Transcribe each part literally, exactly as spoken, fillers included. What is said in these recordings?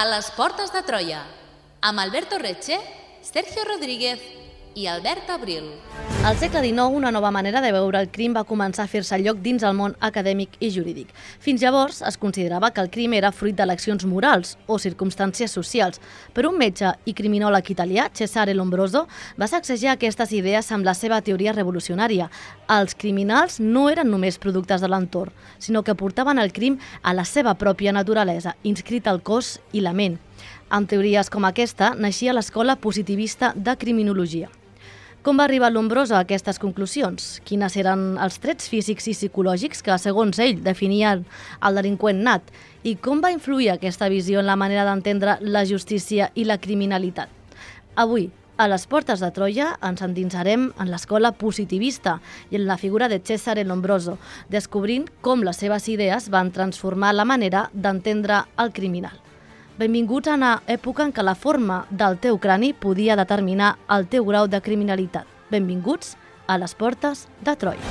A les portes de Troia, amb Alberto Reche, Sergio Rodríguez i Albert Abril. Al segle dinou, una nova manera de veure el crim va començar a fer-se lloc dins el món acadèmic i jurídic. Fins llavors, es considerava que el crim era fruit d'eleccions morals o circumstàncies socials, però un metge i criminòleg italià, Cesare Lombroso, va sacsejar aquestes idees amb la seva teoria revolucionària. Els criminals no eren només productes de l'entorn, sinó que portaven el crim a la seva pròpia naturalesa, inscrita al cos i la ment. Amb teories com aquesta, naixia l'escola positivista de criminologia. Com va arribar Lombroso a aquestes conclusions? Quines eren els trets físics i psicològics que, segons ell, definien el delinqüent nat? I com va influir aquesta visió en la manera d'entendre la justícia i la criminalitat? Avui, a les portes de Troia, ens endinsarem en l'escola positivista i en la figura de Cesare Lombroso, descobrint com les seves idees van transformar la manera d'entendre el criminal. Benvinguts a una època en què la forma del teu crani podia determinar el teu grau de criminalitat. Benvinguts a les portes de Troia.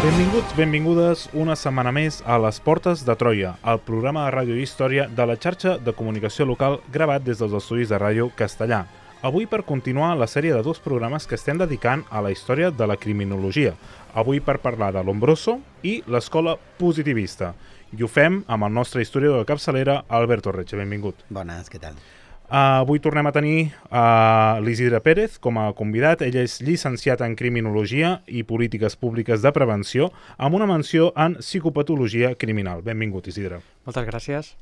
Benvinguts, benvingudes una setmana més a les portes de Troia, el programa de ràdio i història de la xarxa de comunicació local gravat des dels estudis de Ràdio Castellà. Avui per continuar la sèrie de dos programes que estem dedicant a la història de la criminologia. Avui per parlar de Lombroso i l'escola positivista. I ho fem amb el nostre historiador de capçalera, Alberto Reche. Benvingut. Bones, què tal? Uh, avui tornem a tenir uh, l'Isidre Pérez com a convidat. Ell és llicenciat en criminologia i polítiques públiques de prevenció amb una menció en psicopatologia criminal. Benvingut, Isidre. Moltes gràcies.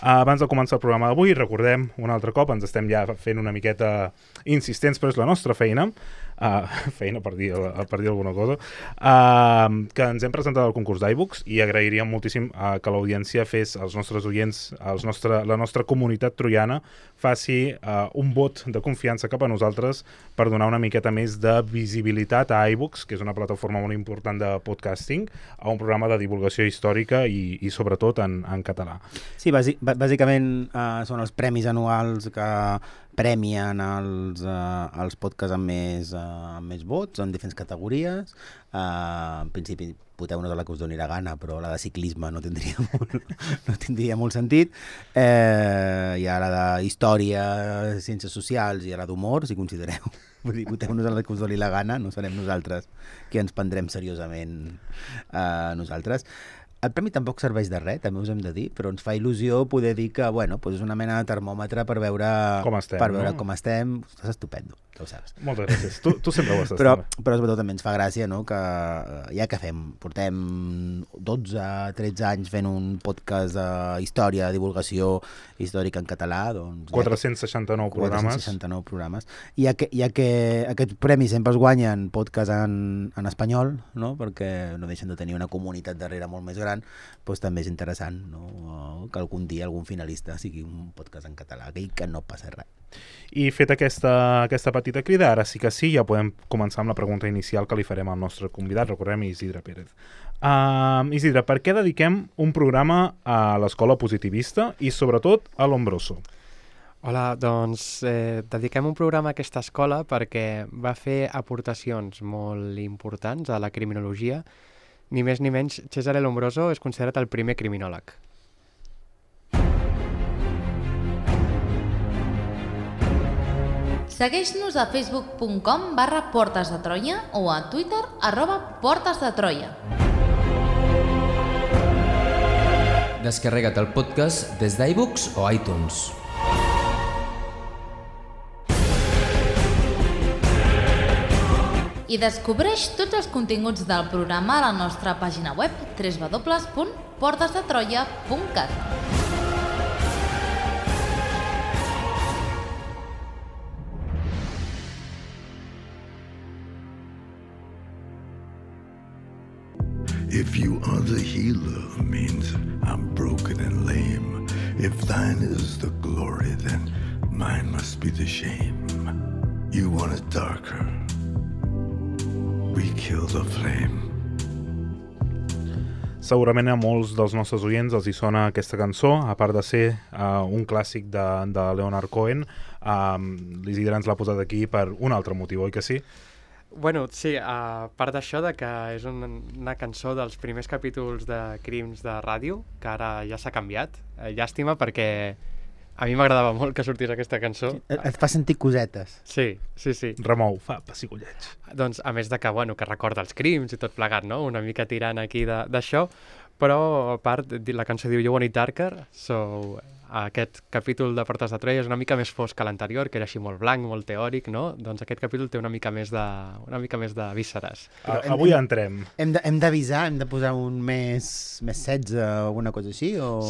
Uh, abans de començar el programa d'avui, recordem un altre cop, ens estem ja fent una miqueta insistents, però és la nostra feina, uh, feina per dir, per dir alguna cosa, uh, que ens hem presentat al concurs d'iBooks i agrairíem moltíssim uh, que l'audiència fes, els nostres oients, els nostre, la nostra comunitat troiana, faci uh, un vot de confiança cap a nosaltres per donar una miqueta més de visibilitat a iBooks, que és una plataforma molt important de podcasting, a un programa de divulgació històrica i, i sobretot en, en català. Sí, bàsic, bàsicament uh, són els premis anuals que premien els, uh, els podcasts amb més, uh, amb més vots en diferents categories. Uh, en principi voteu-nos a la que us doni la gana, però la de ciclisme no tindria molt, no tindria molt sentit. Eh, hi ha la de història, ciències socials i la d'humor, si considereu. Vull dir, voteu-nos a la que us doni la gana, no serem nosaltres que ens prendrem seriosament uh, nosaltres. El premi tampoc serveix de res, també us hem de dir, però ens fa il·lusió poder dir que, bueno, doncs és una mena de termòmetre per veure com estem. Per veure no? com estem. Estàs estupendo, ja ho saps. Moltes gràcies. Tu, tu sempre ho estàs. Però, però sobretot també ens fa gràcia, no?, que ja que fem, portem dotze tretze anys fent un podcast de història, de divulgació històrica en català, doncs... quatre-cents seixanta-nou programes. quatre-cents seixanta-nou programes. I ja que, ja que aquests premis sempre es guanyen podcast en, en espanyol, no?, perquè no deixen de tenir una comunitat darrere molt més gran, doncs també és interessant, no?, que algun dia algun finalista sigui un podcast en català, aquell que no passa res. I fet aquesta, aquesta petita crida, ara sí que sí, ja podem començar amb la pregunta inicial que li farem al nostre convidat, recordem Isidre Pérez. Uh, Isidre, per què dediquem un programa a l'escola positivista i sobretot a Lombroso? Hola, doncs eh, dediquem un programa a aquesta escola perquè va fer aportacions molt importants a la criminologia. Ni més ni menys, Cesare Lombroso és considerat el primer criminòleg. Segueix-nos a facebook punt com barra portes de Troia o a Twitter arroba portes de Troia. Descarrega't el podcast des d'iBooks o iTunes. I descobreix tots els continguts del programa a la nostra pàgina web w w w punt portes de troia punt cat. If you are the healer, means I'm broken and lame. If thine is the glory, then mine must be the shame. You want it darker, we kill the flame. Segurament a molts dels nostres oients els hi sona aquesta cançó, a part de ser uh, un clàssic de, de Leonard Cohen. Uh, L'Isidre ens l'ha posat aquí per un altre motiu, oi que sí? Bueno, sí, a part d'això, de que és una, una cançó dels primers capítols de Crims de ràdio, que ara ja s'ha canviat. Eh, llàstima, perquè a mi m'agradava molt que sortís aquesta cançó. Et, et fa sentir cosetes. Sí, sí, sí. Remou, fa pessigolleig. Doncs, a més de que, bueno, que recorda els crims i tot plegat, no? Una mica tirant aquí de- d'això, però a part, di- la cançó diu You Want It Darker, so aquest capítol de Portes de Troia és una mica més fosc que l'anterior, que era així molt blanc, molt teòric, no? Doncs aquest capítol té una mica més de, una mica més de vísceres. A, hem- avui entrem. Hem de- hem d'avisar, hem de posar un més, més setze o alguna cosa així? O...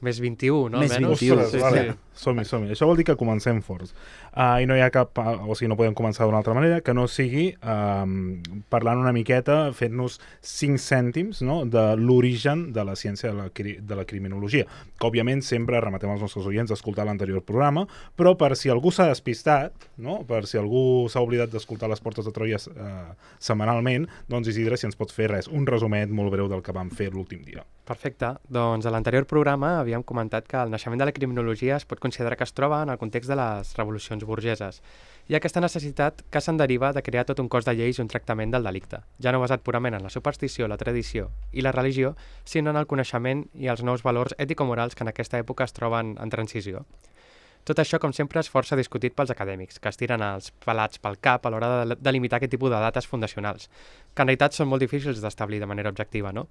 Més vint-i-u, no? Més Almenys? vint-i-u, Ostres, sí, vale. sí. Som-hi, som-hi. Això vol dir que comencem forts. Uh, I no hi ha cap... Uh, o sigui, no podem començar d'una altra manera que no sigui um, parlant una miqueta, fent-nos cinc cèntims, no?, de l'origen de la ciència de la, cri de la criminologia. Que, òbviament, sempre rematem als nostres oients a escoltar l'anterior programa, però per si algú s'ha despistat, no?, per si algú s'ha oblidat d'escoltar les Portes de Troia uh, setmanalment, doncs Isidre, si ens pot fer res, un resumet molt breu del que vam fer l'últim dia. Perfecte. Doncs a l'anterior programa havíem comentat que el naixement de la criminologia es pot considerar que es troba en el context de les revolucions burgeses. Hi ha aquesta necessitat que se'n deriva de crear tot un cos de lleis i un tractament del delicte, ja no basat purament en la superstició, la tradició i la religió, sinó en el coneixement i els nous valors ètico-morals que en aquesta època es troben en transició. Tot això, com sempre, és força discutit pels acadèmics, que es tiren els pelats pel cap a l'hora de delimitar aquest tipus de dates fundacionals, que en realitat són molt difícils d'establir de manera objectiva, no?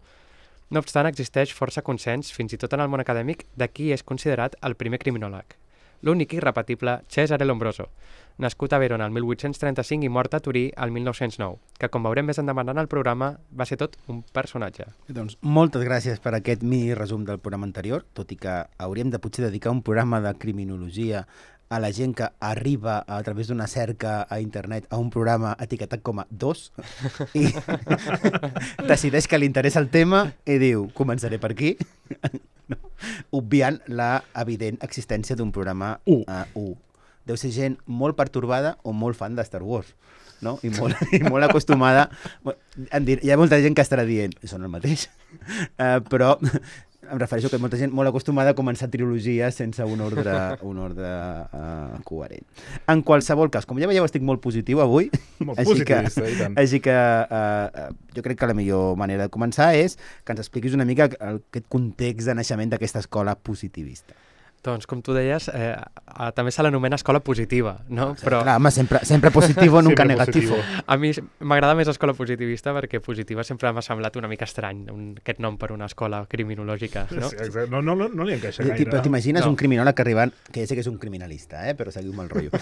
No obstant, existeix força consens, fins i tot en el món acadèmic, de qui és considerat el primer criminòleg. L'únic i irrepetible Cesare Lombroso, nascut a Verona el mil vuit-cents trenta-cinc i mort a Turí el mil nou-cents nou, que, com veurem més endavant en el programa, va ser tot un personatge. Doncs moltes gràcies per aquest mini resum del programa anterior, tot i que hauríem de potser dedicar un programa de criminologia a la gent que arriba a través d'una cerca a internet a un programa etiquetat com a dos i decideix que li interessa el tema i diu, començaré per aquí, no, obviant la evident existència d'un programa U. uh, U. Deu ser gent molt pertorbada o molt fan de Star Wars, no? I molt, i molt acostumada. Em dir, hi ha molta gent que estarà dient, són el mateix, uh, però em refereixo que molta gent molt acostumada a començar trilogies sense un ordre, un ordre uh, coherent. En qualsevol cas, com ja veieu, estic molt positiu avui, Molt així que, positivista, i tant. així que uh, jo crec que la millor manera de començar és que ens expliquis una mica el, aquest context de naixement d'aquesta escola positivista. Doncs, com tu deies, eh, eh, també se l'anomena escola positiva, no? Però Clar, home, sempre, sempre positivo, nunca Sempre negativo. positivo. a mi m'agrada més escola positivista perquè positiva sempre m'ha semblat una mica estrany, un, aquest nom per una escola criminològica, no? Sí, exacte. No, no, no, no li encaixa Ti- gaire. Però t'imagines No. un criminòleg que arribant, que ja sé que és un criminalista, eh? Però seguiu-me el rotllo.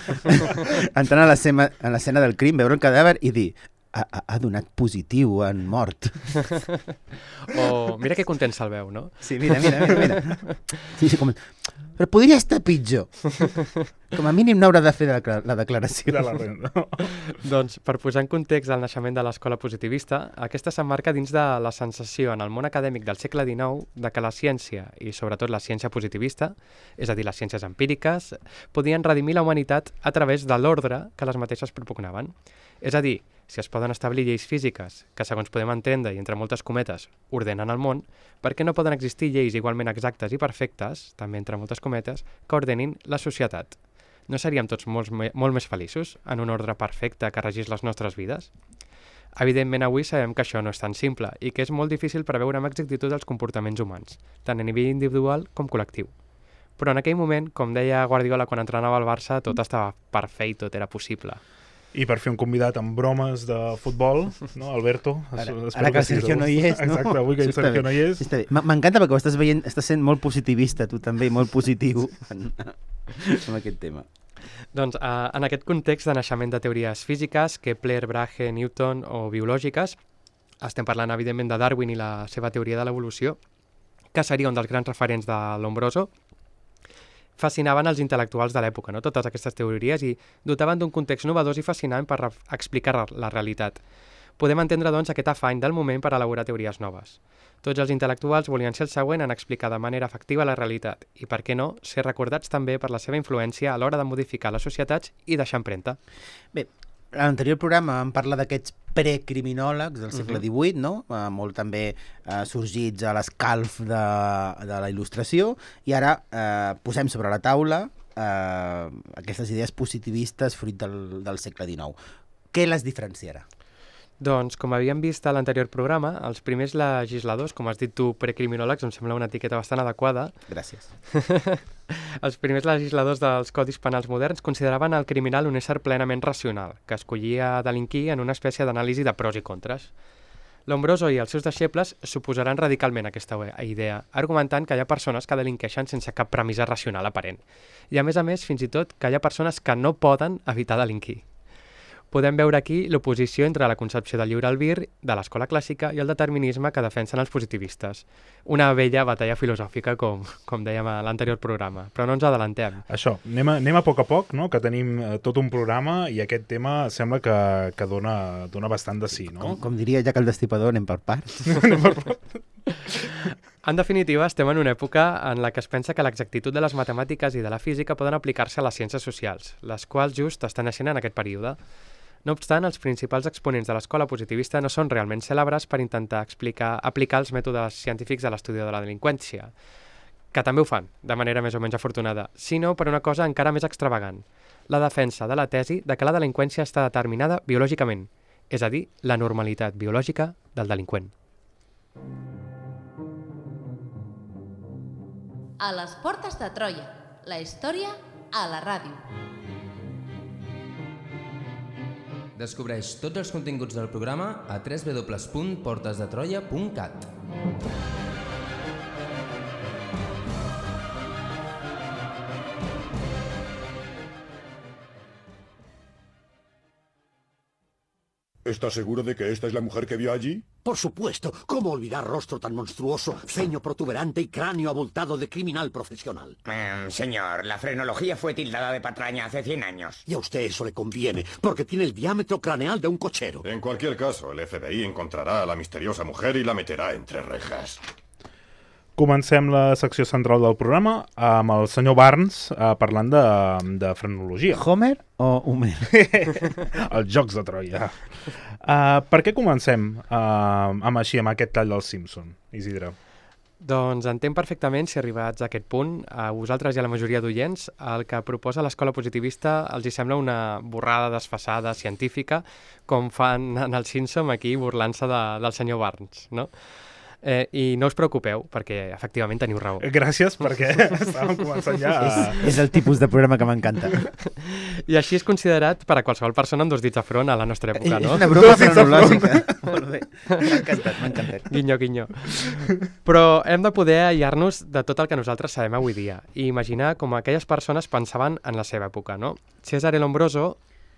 Entrant a l'escena a l'escena del crim, veure el cadàver i dir ha, ha, ha donat positiu en mort. O mira que content se'l veu, no? Sí, mira, mira, mira. mira. Sí, sí, com... Però podria estar pitjor. Com a mínim no haurà de fer la, la declaració. De la renda. Doncs, per posar en context el naixement de l'escola positivista, aquesta s'emmarca dins de la sensació en el món acadèmic del segle dinou de que la ciència, i sobretot la ciència positivista, és a dir, les ciències empíriques, podien redimir la humanitat a través de l'ordre que les mateixes propugnaven. És a dir, si es poden establir lleis físiques que, segons podem entendre, i entre moltes cometes, ordenen el món, per què no poden existir lleis igualment exactes i perfectes, també entre moltes cometes, que ordenin la societat? No seríem tots molt, molt més feliços en un ordre perfecte que regís les nostres vides? Evidentment, avui sabem que això no és tan simple i que és molt difícil preveure amb exactitud els comportaments humans, tant a nivell individual com col·lectiu. Però en aquell moment, com deia Guardiola quan entrenava al Barça, tot estava per fer i tot era possible. I per fer un convidat amb bromes de futbol, no, Alberto? Ara, Espero ara que el estiguis Sergio a no gust. hi és, no? Exacte, avui que el Això està Sergio bé. no hi és. Està bé. M- M'encanta perquè ho estàs veient, estàs sent molt positivista, tu també, molt positiu en, en aquest tema. Doncs eh, en aquest context de naixement de teories físiques, Kepler, Brahe, Newton o biològiques, estem parlant evidentment de Darwin i la seva teoria de l'evolució, que seria un dels grans referents de Lombroso, fascinaven els intel·lectuals de l'època, no? Totes aquestes teories, i dotaven d'un context novedós i fascinant per re- explicar la realitat. Podem entendre, doncs, aquest afany del moment per elaborar teories noves. Tots els intel·lectuals volien ser el següent en explicar de manera efectiva la realitat i, per què no, ser recordats també per la seva influència a l'hora de modificar les societats i deixar empremta. Bé, a l'anterior programa vam parlar d'aquests precriminòlegs del segle Mhm. divuit, no? Eh, molt també eh, sorgits a l'escalf de, de la il·lustració, i ara eh, posem sobre la taula eh, aquestes idees positivistes fruit del, del segle dinou. què les diferenciarà? Doncs, com havíem vist a l'anterior programa, els primers legisladors, com has dit tu, precriminòlegs, em sembla una etiqueta bastant adequada. Gràcies. Els primers legisladors dels codis penals moderns consideraven el criminal un ésser plenament racional, que escollia delinquir en una espècie d'anàlisi de pros i contres. Lombroso i els seus deixebles s'oposaran radicalment a aquesta idea, argumentant que hi ha persones que delinqueixen sense cap premissa racional aparent. I a més a més, fins i tot, que hi ha persones que no poden evitar delinquir. Podem veure aquí l'oposició entre la concepció del lliure albir, de l'escola clàssica i el determinisme que defensen els positivistes. Una vella batalla filosòfica, com, com dèiem a l'anterior programa, però no ens adelantem. Això, anem a, anem a poc a poc, no? Que tenim eh, tot un programa i aquest tema sembla que, que dona, dona bastant de sí, no? Com, com diria ja que el Destripador, anem per parts. Anem per parts. En definitiva, estem en una època en la que es pensa que l'exactitud de les matemàtiques i de la física poden aplicar-se a les ciències socials, les quals just estan naixent en aquest període. No obstant, els principals exponents de l'escola positivista no són realment cèlebres per intentar explicar, aplicar els mètodes científics a l'estudi de la delinqüència, que també ho fan, de manera més o menys afortunada, sinó per una cosa encara més extravagant, la defensa de la tesi de que la delinqüència està determinada biològicament, és a dir, la normalitat biològica del delinqüent. A les portes de Troia, la història a la ràdio. Descobreix tots els continguts del programa a w w w punt portes de troia punt cat. ¿Estás seguro de que esta es la mujer que vio allí? Por supuesto. ¿Cómo olvidar rostro tan monstruoso, ceño protuberante y cráneo abultado de criminal profesional? Mm, señor, la frenología fue tildada de patraña hace cien años. Y a usted eso le conviene, porque tiene el diámetro craneal de un cochero. En cualquier caso, el F B I encontrará a la misteriosa mujer y la meterá entre rejas. Comencem la secció central del programa amb el senyor Barnes eh, parlant de, de frenologia. Homer o Homer? Els Jocs de Troia. Uh, per què comencem uh, amb així, amb aquest tall del Simpson, Isidre? Doncs entenc perfectament, si arribats a aquest punt, a vosaltres i a la majoria d'oients, el que proposa l'escola positivista els hi sembla una borrada desfasada científica, com fan en el Simpson aquí burlant-se de, del senyor Barnes, no? Eh, I no us preocupeu, perquè efectivament teniu raó. Gràcies, perquè estàvem començant ja a... és, és el tipus de programa que m'encanta. I així és considerat per a qualsevol persona amb dos dits de front a la nostra època, no? És una broma frenològica. Molt bé, m'ha encantat, m'ha encantat. Guinyo, guinyo. Però hem de poder aïllar-nos de tot el que nosaltres sabem avui dia i imaginar com aquelles persones pensaven en la seva època, no? Cesare Lombroso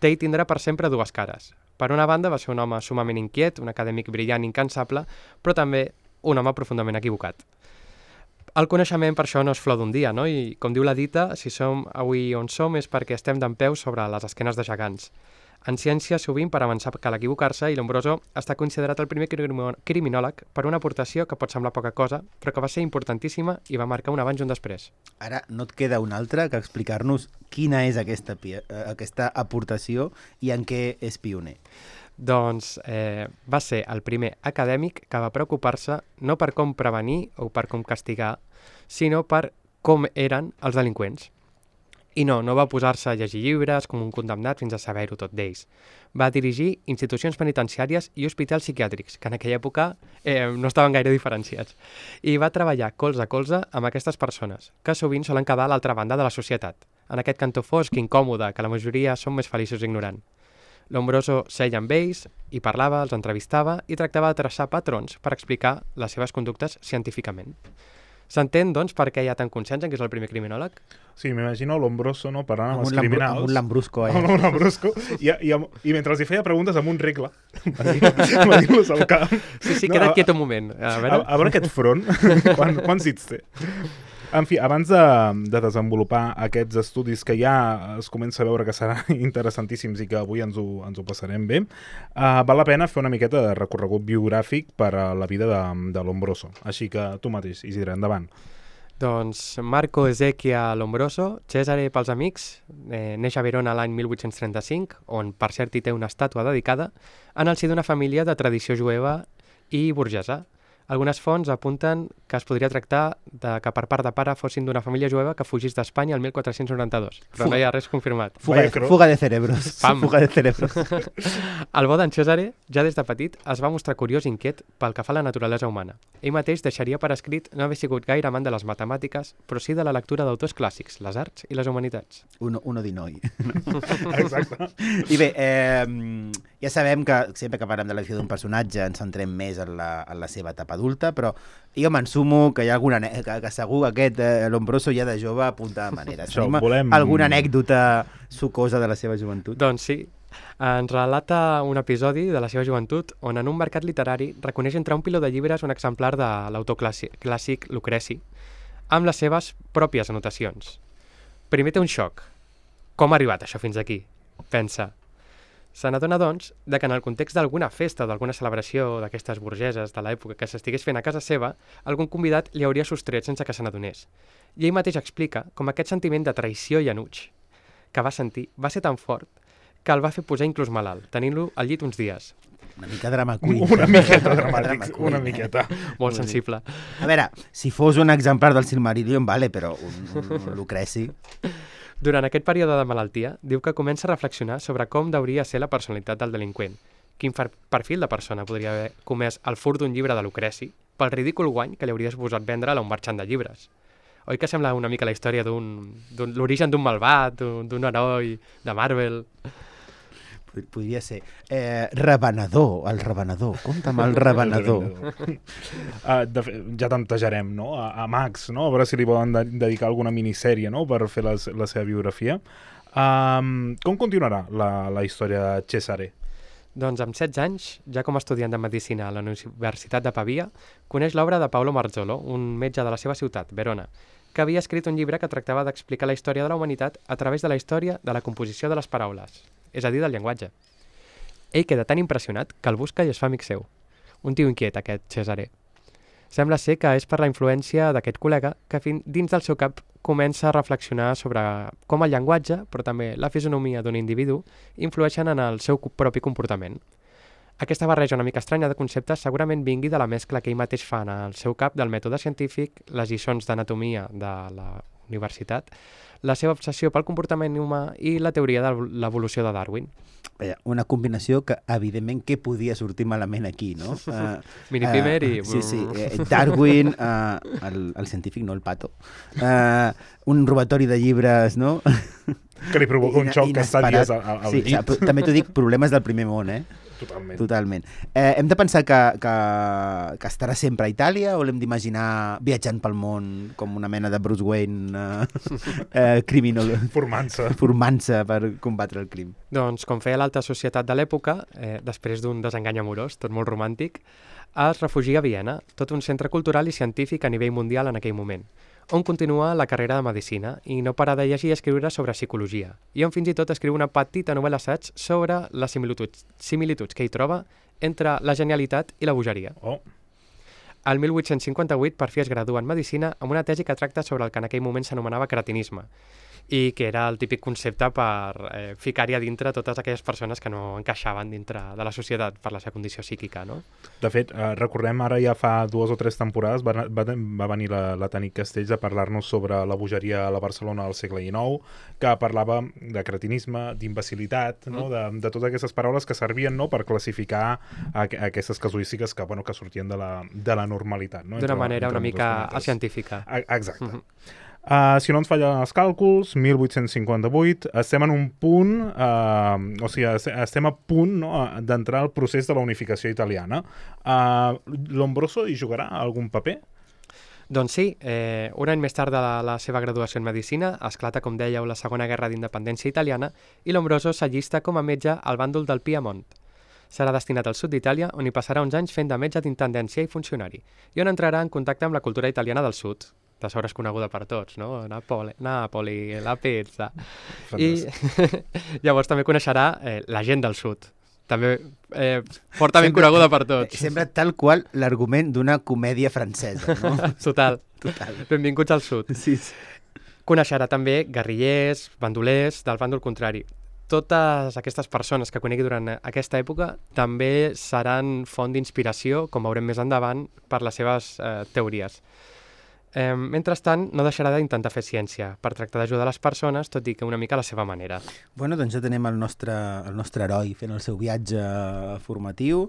té i tindrà per sempre dues cares. Per una banda, va ser un home sumament inquiet, un acadèmic brillant i incansable, però també un home profundament equivocat. El coneixement per això no és flor d'un dia, no? I com diu la dita, si som avui on som és perquè estem dempeus sobre les esquenes de gegants. En ciència, sovint, per avançar cal equivocar-se, i Lombroso està considerat el primer criminòleg per una aportació que pot semblar poca cosa, però que va ser importantíssima i va marcar un abans i un després. Ara no et queda un altre que explicar-nos quina és aquesta, aquesta aportació i en què és pioner. Doncs eh, va ser el primer acadèmic que va preocupar-se no per com prevenir o per com castigar, sinó per com eren els delinqüents. I no, no va posar-se a llegir llibres com un condemnat fins a saber-ho tot d'ells. Va dirigir institucions penitenciàries i hospitals psiquiàtrics, que en aquella època eh, no estaven gaire diferenciats. I va treballar colze a colze amb aquestes persones, que sovint solen quedar a l'altra banda de la societat, en aquest cantó fosc i incòmode que la majoria són més feliços ignorant. Lombroso seia amb ells, hi parlava, els entrevistava i tractava de traçar patrons per explicar les seves conductes científicament. S'entén, doncs, per què hi ha tant consens en que és el primer criminòleg? Sí, m'imagino Lombroso, no?, parlant amb, amb els lambru, criminals. Amb un lambrusco, eh? Amb un lambrusco. I, i, i mentre els hi feia preguntes amb un regle, va dir-los al camp. Sí, sí, no, queda't quiet un moment. A veure, a, a veure aquest front, quan, quants dits té? En fi, abans de, de desenvolupar aquests estudis que ja es comença a veure que seran interessantíssims i que avui ens ho, ens ho passarem bé, uh, val la pena fer una miqueta de recorregut biogràfic per a la vida de, de Lombroso. Així que tu mateix, Isidre, endavant. Doncs Marco Ezechia Lombroso, Cesare pels amics, eh, neix a Verona l'any mil vuit-cents trenta-cinc, on per cert hi té una estàtua dedicada, en el si d'una família de tradició jueva i burgesa. Algunes fonts apunten que es podria tractar de que per part de pare fossin d'una família jueva que fugís d'Espanya el mil quatre-cents noranta-dos, però Fuga. no hi ha res confirmat. Fuga, de, fuga de cerebros. Pam. Fuga de cerebros. El bo d'en Cesare, ja des de petit, es va mostrar curiós i inquiet pel que fa a la naturalesa humana. Ell mateix deixaria per escrit no haver sigut gaire amant de les matemàtiques, però sí de la lectura d'autors clàssics, les arts i les humanitats. Uno, uno di noi. Exacte. I bé, eh, ja sabem que sempre que parlem de l'elecció d'un personatge ens centrem més en la, en la seva etapa adulta, però jo m'ensumo que hi ha alguna que, que segur aquest eh, Lombroso ja de jove apunta de manera. Això, Tenim volem- alguna anècdota sucosa de la seva joventut? Doncs sí. Ens relata un episodi de la seva joventut on en un mercat literari reconeix entre un piló de llibres un exemplar de l'autor clàssic, clàssic Lucreci amb les seves pròpies anotacions. Primer té un xoc. Com ha arribat això fins aquí? Pensa. Se n'adona, doncs, de que en el context d'alguna festa o d'alguna celebració d'aquestes burgeses de l'època que s'estigués fent a casa seva, algun convidat li hauria sostret sense que se n'adonés. I ell mateix explica com aquest sentiment de traïció i enuig que va sentir va ser tan fort que el va fer posar inclús malalt, tenint-lo al llit uns dies. Una mica drama queen. Una miqueta dramàtic, una miqueta. Molt sensible. A veure, si fos un exemplar del Silmarillion, vale, però un, un, un Lucreci... Durant aquest període de malaltia, diu que comença a reflexionar sobre com hauria ser la personalitat del delinqüent. Quin perfil de persona podria haver comès el furt d'un llibre de Lucreci pel ridícul guany que li hauria suposat vendre'l a un marxant de llibres. Oi que sembla una mica la història d'un... l'origen d'un malvat, d'un heroi de Marvel... Podria ser. Eh, revenedor, el revenedor. Compta'm el revenedor. uh, de fet, ja tantejarem, no? A, a Max, no? A veure si li volen de dedicar alguna minissèrie, no? Per fer la, la seva biografia. Um, com continuarà la, la història de Cesare? Doncs amb setze anys, ja com a estudiant de Medicina a la Universitat de Pavia, coneix l'obra de Paolo Marzolo, un metge de la seva ciutat, Verona, que havia escrit un llibre que tractava d'explicar la història de la humanitat a través de la història de la composició de les paraules, és a dir, del llenguatge. Ell queda tan impressionat que el busca i es fa amic seu. Un tio inquiet, aquest Cesare. Sembla ser que és per la influència d'aquest col·lega que fin, dins del seu cap comença a reflexionar sobre com el llenguatge, però també la fisonomia d'un individu, influeixen en el seu propi comportament. Aquesta barreja una mica estranya de conceptes segurament vingui de la mescla que ell mateix fa en el seu cap del mètode científic, les lliçons d'anatomia de la universitat, la seva obsessió pel comportament humà i la teoria de l'evolució de Darwin. Una combinació que, evidentment, què podia sortir malament aquí, no? Uh, Mini-primer uh, i... Sí, sí. Uh, Darwin, uh, el, el científic, no el pato. Uh, un robatori de llibres, no? Que li provoca un xoc que està dies al, al sí, llit. Sí, també t'ho dic, problemes del primer món, eh? Totalment. Totalment. Eh, hem de pensar que, que, que estarà sempre a Itàlia o l'hem d'imaginar viatjant pel món com una mena de Bruce Wayne eh, eh, criminal... Formant-se. Formant-se per combatre el crim. Doncs, com feia l'alta societat de l'època, eh, després d'un desengany amorós, tot molt romàntic, es refugia a Viena, tot un centre cultural i científic a nivell mundial en aquell moment, on continua la carrera de Medicina i no para de llegir i escriure sobre psicologia, i on fins i tot escriu una petita novel·la assaig sobre les similituds, similituds que hi troba entre la genialitat i la bogeria. Oh. El mil vuit-cents cinquanta-vuit, per fi es gradua en Medicina amb una tesi que tracta sobre el que en aquell moment s'anomenava cretinisme, i que era el típic concepte per eh, ficar-hi a dintre totes aquelles persones que no encaixaven dintre de la societat per la seva condició psíquica, no? De fet, eh, recordem ara ja fa dues o tres temporades va, va, va venir la, la Tanit Castells a parlar-nos sobre la bogeria a la Barcelona del segle dinou, que parlava de cretinisme, d'imbecilitat, no? de, de totes aquestes paraules que servien, no? Per classificar a, a aquestes casuístiques que, bueno, que sortien de la, de la normalitat. No? D'una manera entre una mica científica. Exacte. Mm-hmm. Uh, si no ens fallen els càlculs, mil vuit-cents cinquanta-vuit, estem en un punt, uh, o sigui, estem a punt, no, d'entrar al procés de la unificació italiana. Uh, Lombroso hi jugarà algun paper? Doncs sí, eh, un any més tard de la, la seva graduació en Medicina, esclata, com dèieu, la Segona Guerra d'Independència Italiana i Lombroso s'allista com a metge al bàndol del Piemont. Serà destinat al sud d'Itàlia, on hi passarà uns anys fent de metge d'intendència i funcionari, i on entrarà en contacte amb la cultura italiana del sud, de sobre és coneguda per tots, no? Napoli, Napoli la pizza... Fantàstic. I llavors també coneixerà eh, la gent del sud, també eh, fortament sempre, coneguda per tots. Sembla tal qual l'argument d'una comèdia francesa, no? Total. Total. Benvinguts al sud. Sí, sí. Coneixerà també guerrillers, bandolers, del bàndol contrari. totes aquestes persones que conegui durant aquesta època també seran font d'inspiració, com veurem més endavant, per les seves eh, teories. Eh, mentrestant, no deixarà d'intentar fer ciència per tractar d'ajudar les persones, tot i que una mica a la seva manera. Bueno, doncs ja tenim el nostre, el nostre heroi fent el seu viatge formatiu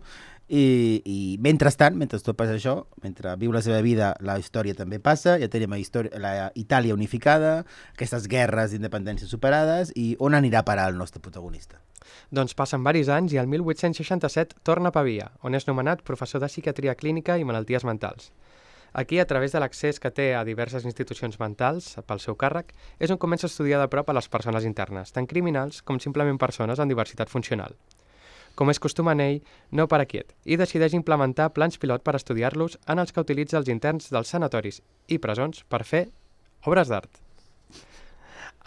i, i mentrestant, mentre tot passa això, mentre viu la seva vida, la història també passa, ja tenim la, història, la Itàlia unificada, aquestes guerres d'independència superades, i on anirà a parar el nostre protagonista? Doncs passen varis anys i el mil vuit-cents seixanta-set torna a Pavia, on és nomenat professor de psiquiatria clínica i malalties mentals. Aquí, a través de l'accés que té a diverses institucions mentals pel seu càrrec, és on comença a estudiar de prop a les persones internes, tant criminals com simplement persones amb diversitat funcional. Com és costum en ell, no para quiet, i decideix implementar plans pilot per estudiar-los en els que utilitza els interns dels sanatoris i presons per fer obres d'art.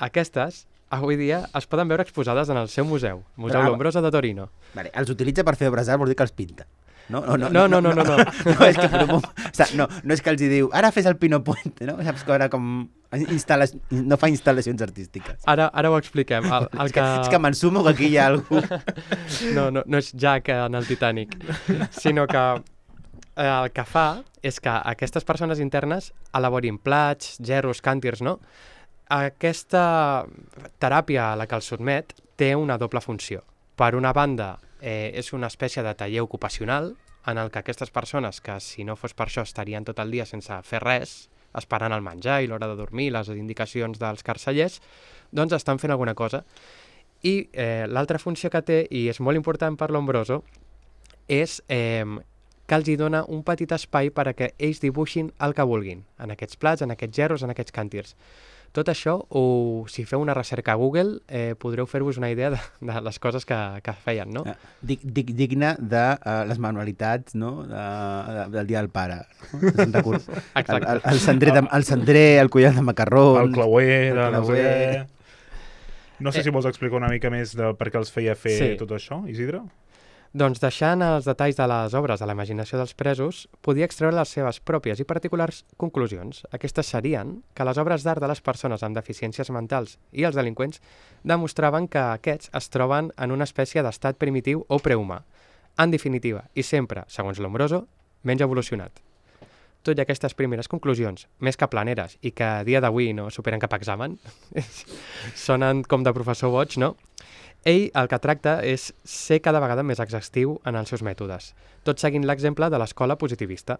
Aquestes, avui dia, es poden veure exposades en el seu museu, Museu Bravo. Lombroso de Torino. Vale, els utilitza per fer obres d'art, vol dir que els pinta. No, no, no, no, no, no, no, no. no, és que, no, no, no és que els hi diu, ara fes el Pino Puente, no? Saps que ara com instal·la... no fa instal·lacions artístiques. Ara, ara ho expliquem. El, el és que, que... que m'ensumo que aquí hi ha algú... No, no, no és Jack en el Titanic, sinó que eh, el que fa és que aquestes persones internes elaborin plats, gerros, càntirs, no? Aquesta teràpia a la que els sotmet té una doble funció. Per una banda, eh, és una espècie de taller ocupacional en el que aquestes persones, que si no fos per això estarien tot el dia sense fer res, esperant el menjar i l'hora de dormir, les indicacions dels carcellers, doncs estan fent alguna cosa. I eh, l'altra funció que té, i és molt important per Lombroso, és eh, que els hi dona un petit espai per a que ells dibuixin el que vulguin, en aquests plats, en aquests gerros, en aquests càntirs. Tot això, o si feu una recerca a Google, eh, podreu fer-vos una idea de, de les coses que, que feien, no? Dig, dig, digne de uh, les manualitats, no? De, de, del dia del pare. No? Exacte. El, el, el, cendrer de, el cendrer, el collar de macarrons... El clauer, el clauer. No sé què. No sé eh. si vols explicar una mica més de per què els feia fer sí. tot això, Isidre? Doncs deixant els detalls de les obres a la imaginació dels presos, podia extreure les seves pròpies i particulars conclusions. Aquestes serien que les obres d'art de les persones amb deficiències mentals i els delinqüents demostraven que aquests es troben en una espècie d'estat primitiu o prehumà. En definitiva, i sempre, segons Lombroso, menys evolucionat. Tot i aquestes primeres conclusions, més que planeres i que a dia d'avui no superen cap examen, sonen com de professor boig, no? Ell el que tracta és ser cada vegada més exhaustiu en els seus mètodes, tot seguint l'exemple de l'escola positivista.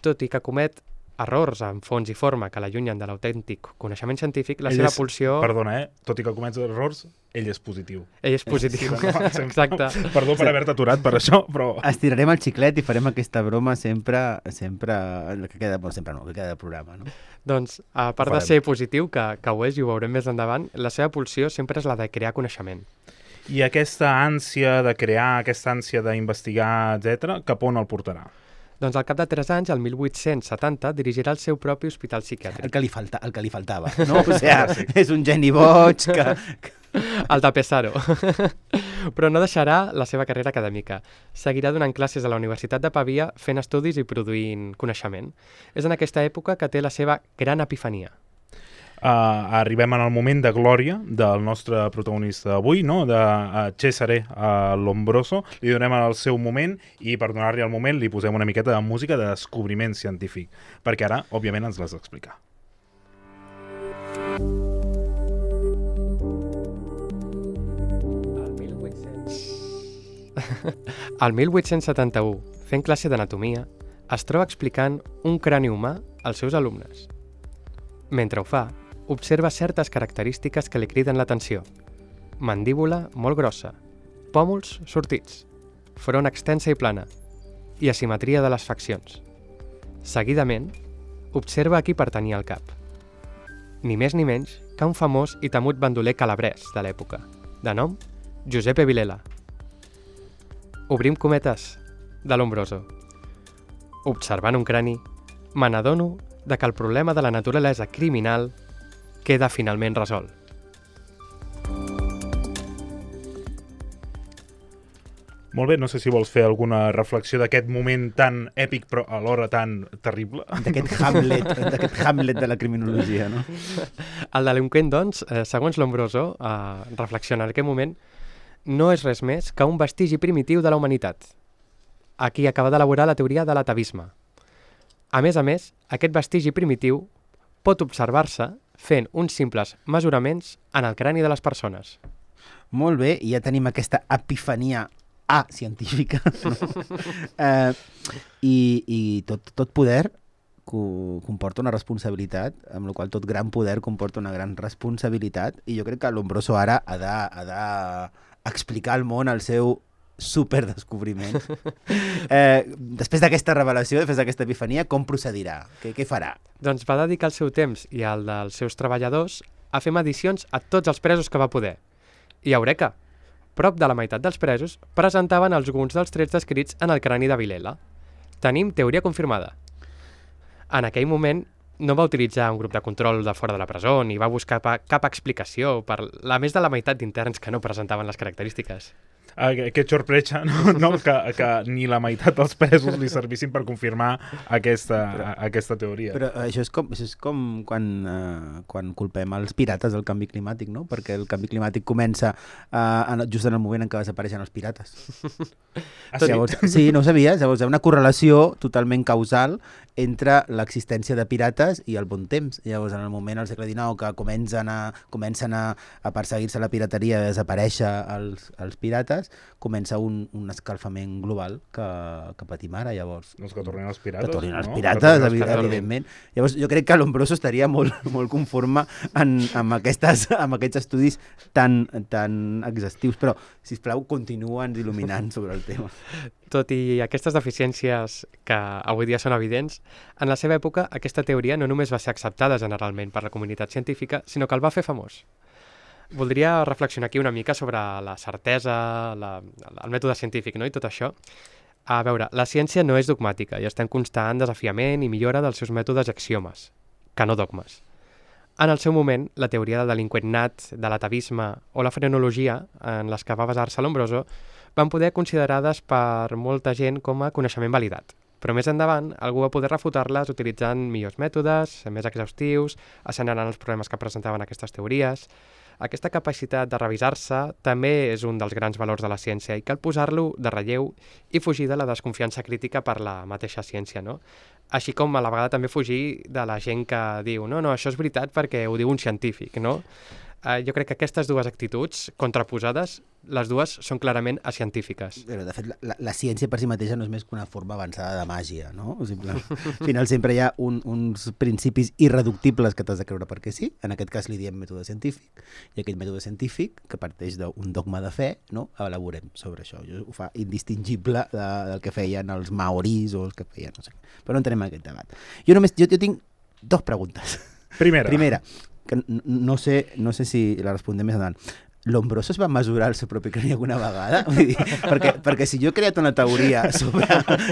Tot i que comet errors en fons i forma que l'allunyen de l'autèntic coneixement científic, la ell seva és, pulsió... Perdona, eh? Tot i que comets errors, ell és positiu. Ell és positiu, sí, no, exacte. Perdó per haver-te aturat per això, però... Estirarem el xiclet i farem aquesta broma sempre, sempre, que queda, bueno, sempre no, que queda del programa, no? Doncs, a part de ser positiu, que, que ho és i ho veurem més endavant, la seva pulsió sempre és la de crear coneixement. I aquesta ànsia de crear, aquesta ànsia d'investigar, etcètera, cap on el portarà? Doncs al cap de tres anys, el mil vuit-cents setanta, dirigirà el seu propi hospital psiquiàtric. El que li, falta, el que li faltava, no? O sigui, és un geni boig que... El de Pesaro. Però no deixarà la seva carrera acadèmica. Seguirà donant classes a la Universitat de Pavia, fent estudis i produint coneixement. És en aquesta època que té la seva gran epifania. Uh, arribem en el moment de glòria del nostre protagonista d'avui, no? de uh, Cesare uh, Lombroso. Li donem el seu moment i per donar-li el moment li posem una miqueta de música de descobriment científic, perquè ara, òbviament, ens l'has d'explicar. El mil vuit-cents setanta-u, fent classe d'anatomia, es troba explicant un crani humà als seus alumnes. Mentre ho fa, observa certes característiques que li criden l'atenció. Mandíbula molt grossa, pòmuls sortits, front extensa i plana, i asimetria de les faccions. Seguidament, observa a qui pertanyia al cap. Ni més ni menys que un famós i temut bandoler calabrès de l'època, de nom Giuseppe Vilela. Obrim cometes de Lombroso. Observant un crani, me n'adono de que el problema de la naturalesa criminal queda finalment resolt. Molt bé, no sé si vols fer alguna reflexió d'aquest moment tan èpic però alhora tan terrible. D'aquest Hamlet, d'aquest Hamlet de la criminologia, no? El delinqüent, doncs, eh, segons Lombroso, eh, reflexiona en aquest moment, no és res més que un vestigi primitiu de la humanitat. Aquí acaba d'elaborar la teoria de l'atavisme. A més a més, aquest vestigi primitiu pot observar-se fent uns simples mesuraments en el crani de les persones. Molt bé, i ja tenim aquesta epifania A científica, no? eh, I i tot, tot poder co comporta una responsabilitat, amb la qual tot gran poder comporta una gran responsabilitat, i jo crec que Lombroso ara ha de, ha de explicar al món el seu superdescobriment. Eh, després d'aquesta revelació, després d'aquesta epifania, com procedirà? Què, què farà? Doncs va dedicar el seu temps i el dels seus treballadors a fer medicions a tots els presos que va poder. I eureka! Prop de la meitat dels presos presentaven alguns dels trets descrits en el crani de Vilela. Tenim teoria confirmada. En aquell moment no va utilitzar un grup de control de fora de la presó ni va buscar cap explicació per la més de la meitat d'interns que no presentaven les característiques. Aquest sorpresa, no? no? Que, que ni la meitat dels presos li servissin per confirmar aquesta, però, aquesta teoria. Però això és com, això és com quan, uh, quan culpem els pirates del canvi climàtic, no? Perquè el canvi climàtic comença uh, just en el moment en què desapareixen els pirates. Ah, sí? Llavors, sí, no ho sabies? Llavors hi ha una correlació totalment causal entre l'existència de pirates i el bon temps. Llavors, en el moment, al segle dinou, que comencen a, comencen a, a perseguir-se la pirateria i a desaparèixer els, els pirates, comença un, un escalfament global que, que patim ara, llavors. Doncs que tornin els pirates, Que tornin els no? pirates, els evi pirates. evidentment. Llavors, jo crec que Lombroso estaria molt, molt conforme en, amb, aquestes, amb aquests estudis tan, tan exhaustius, però, sisplau, continua'ns il·luminant sobre el tema. Tot i aquestes deficiències que avui dia són evidents, en la seva època aquesta teoria no només va ser acceptada generalment per la comunitat científica, sinó que el va fer famós. Voldria reflexionar aquí una mica sobre la certesa, la, el mètode científic, no? I tot això. A veure, la ciència no és dogmàtica i està en constant desafiament i millora dels seus mètodes axiomes, que no dogmes. En el seu moment, la teoria del delinqüent nat, de l'atavisme o la frenologia, en les que va basar-se Lombroso, van poder considerades per molta gent com a coneixement validat. Però més endavant, algú va poder refutar-les utilitzant millors mètodes, més exhaustius, assenyalant els problemes que presentaven aquestes teories. Aquesta capacitat de revisar-se també és un dels grans valors de la ciència i cal posar-lo de relleu i fugir de la desconfiança crítica per la mateixa ciència, no? Així com a la vegada també fugir de la gent que diu no, no, això és veritat perquè ho diu un científic, no? Uh, jo crec que aquestes dues actituds contraposades, les dues són clarament científiques. Però, de fet, la, la ciència per si mateixa no és més que una forma avançada de màgia, no? O sigui, al final sempre hi ha un, uns principis irreductibles que t'has de creure perquè sí, en aquest cas li diem mètode científic, i aquest mètode científic, que parteix d'un dogma de fe, no? Elaborem sobre això. Jo ho fa indistingible de, del que feien els maoris o els que feien, no sé. Però no entenem aquest debat. Jo només, jo, jo tinc dos preguntes. Primera. Primera, que no sé, no sé si la respondem més endavant. Lombroso es va mesurar el seu propi crani alguna vegada? Vull dir, perquè, perquè si jo he creat una teoria sobre,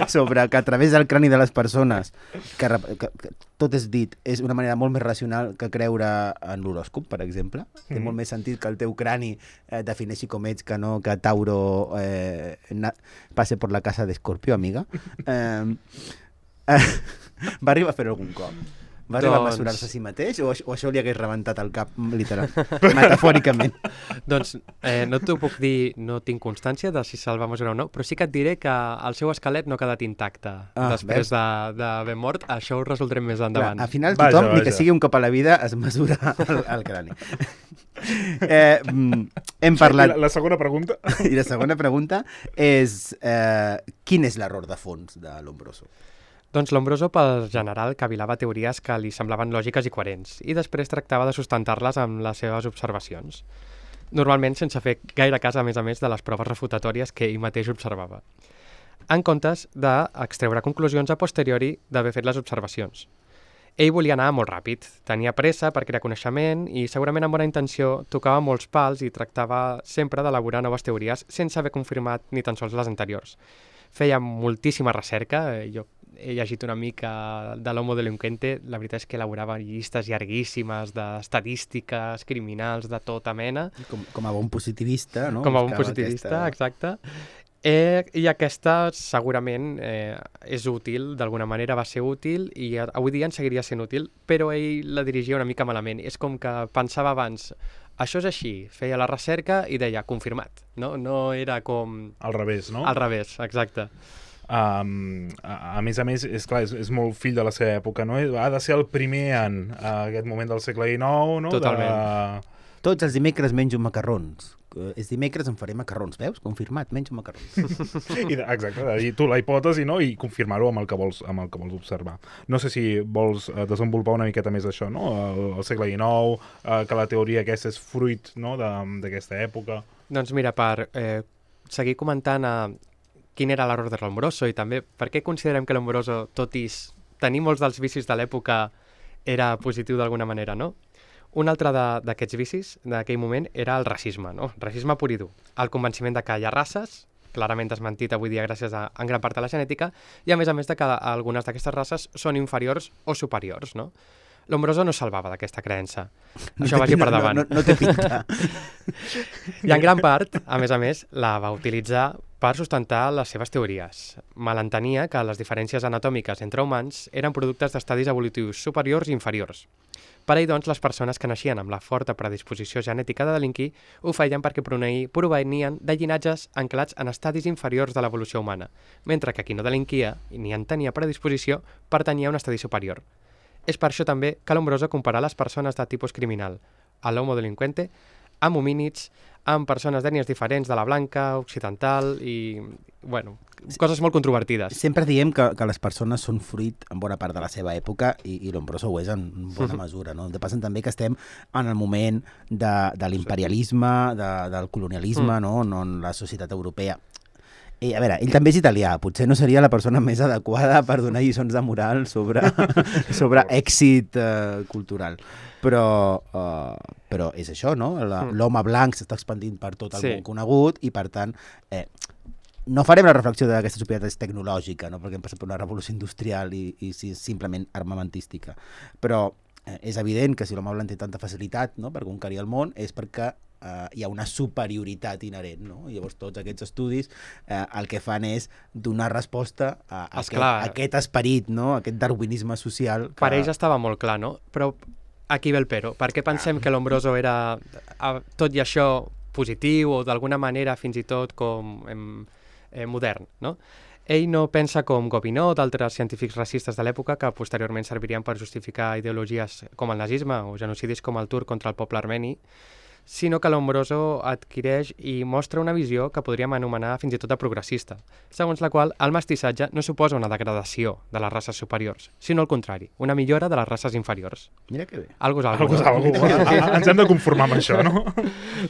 sobre que a través del crani de les persones, que, que, que tot és dit, és una manera molt més racional que creure en l'horòscop, per exemple. Mm. Té molt més sentit que el teu crani eh, defineixi com ets que no que Tauro eh, na, passe per la casa d'Escorpio, amiga. Eh, eh, va arribar a fer algun cop? Va arribar doncs... a mesurar-se a si mateix o, o això li hagués rebentat el cap, literal, metafòricament? Doncs eh, no t'ho puc dir, no tinc constància de si se'l va mesurar o no, però sí que et diré que el seu esquelet no ha quedat intacte ah, després d'haver mort. Això ho resoldrem més endavant. Clar, al final tothom, vaja, vaja. Ni que sigui un cop a la vida, es mesura el, el crani. eh, hem parlat... I la, la segona pregunta? I la segona pregunta és eh, quin és l'error de fons de Lombroso? Doncs Lombroso, pel general, cavilava teories que li semblaven lògiques i coherents i després tractava de sustentar-les amb les seves observacions. Normalment sense fer gaire cas, a més a més, de les proves refutatòries que ell mateix observava. En comptes d'extreure conclusions a posteriori d'haver fet les observacions. Ell volia anar molt ràpid, tenia pressa per crear coneixement i segurament amb bona intenció tocava molts pals i tractava sempre d'elaborar noves teories sense haver confirmat ni tan sols les anteriors. Feia moltíssima recerca, jo he llegit una mica de l'Homo Delinquente, la veritat és que elaborava llistes llarguíssimes d'estadístiques criminals de tota mena. Com, com a bon positivista, no? Com a bon Buscava positivista, aquesta... exacte. Eh, I aquesta segurament eh, és útil, d'alguna manera va ser útil i avui dia en seguiria sent útil, però ell la dirigia una mica malament. És com que pensava abans, això és així, feia la recerca i deia, confirmat, no? No era com... Al revés, no? Al revés, exacte. Um, a, a més a més, és clar, és, és molt fill de la seva època, no? Ha de ser el primer en uh, aquest moment del segle dinou, no? Totalment. De... Tots els dimecres menjo macarrons. Uh, és dimecres em faré macarrons, veus? Confirmat, menjo macarrons. I de, exacte, de dir tu la hipòtesi, no? I confirmar-ho amb el que vols amb el que vols observar. No sé si vols uh, desenvolupar una miqueta més això, no? El, el segle dinou, uh, que la teoria aquesta és fruit, no? d'aquesta època. Doncs mira, per eh, seguir comentant a quin era l'error de Lombroso i també per què considerem que Lombroso, tot i tenir molts dels vicis de l'època, era positiu d'alguna manera, no? Un altre d'aquests vicis d'aquell moment era el racisme, no? Racisme pur i dur. El convenciment de que hi ha races, clarament desmentit avui dia gràcies a, en gran part a la genètica, i a més a més de que algunes d'aquestes races són inferiors o superiors, no? Lombroso no salvava d'aquesta creença. No Això vagi per no, davant. no, no, no té pinta. I en gran part, a més a més, la va utilitzar per sustentar les seves teories. Malentenia que les diferències anatòmiques entre humans eren productes d'estadis evolutius superiors i inferiors. Per ell, doncs, les persones que naixien amb la forta predisposició genètica de delinquir ho feien perquè provenien de llinatges anclats en estadis inferiors de l'evolució humana, mentre que qui no delinquia ni en tenia predisposició pertanyia a un estadi superior. És per això també que Lombroso compara les persones de tipus criminal, a l'homo delinqüente, amb homínids, amb persones d'ètnies diferents de la blanca, occidental i, bueno, coses molt controvertides. Sempre diem que, que les persones són fruit en bona part de la seva època i, i Lombroso ho és en bona mesura, no? De passen també que estem en el moment de, de l'imperialisme, de, del colonialisme, mm. no? No en la societat europea. I, a veure, ell també és italià, potser no seria la persona més adequada per donar lliçons de moral sobre, sobre èxit eh, cultural. Però, uh, però és això, no? L'home blanc s'està expandint per tot el sí. món conegut i, per tant, eh, no farem la reflexió d'aquesta societat és tecnològica, no? Perquè hem passat per una revolució industrial i, i si és simplement armamentística. Però eh, és evident que si l'home blanc té tanta facilitat, no?, per conquerir el món és perquè Uh, hi ha una superioritat inherent, no? I llavors tots aquests estudis uh, el que fan és donar resposta a, a, aquest, a aquest esperit, no? Aquest darwinisme social. Que... Per ells estava molt clar, no? Però aquí ve el però. Per què pensem ah. que Lombroso era, a, tot i això, positiu o d'alguna manera fins i tot com em, eh, modern, no? Ell no pensa com Gobineau o d'altres científics racistes de l'època que posteriorment servirien per justificar ideologies com el nazisme o genocidis com el turc contra el poble armeni, sinó que Lombroso adquireix i mostra una visió que podríem anomenar fins i tot de progressista, segons la qual el mestissatge no suposa una degradació de les races superiors, sinó al contrari, una millora de les races inferiors. Mira que bé. Algo és algo. Algo és algo. Ens hem de conformar amb això, no?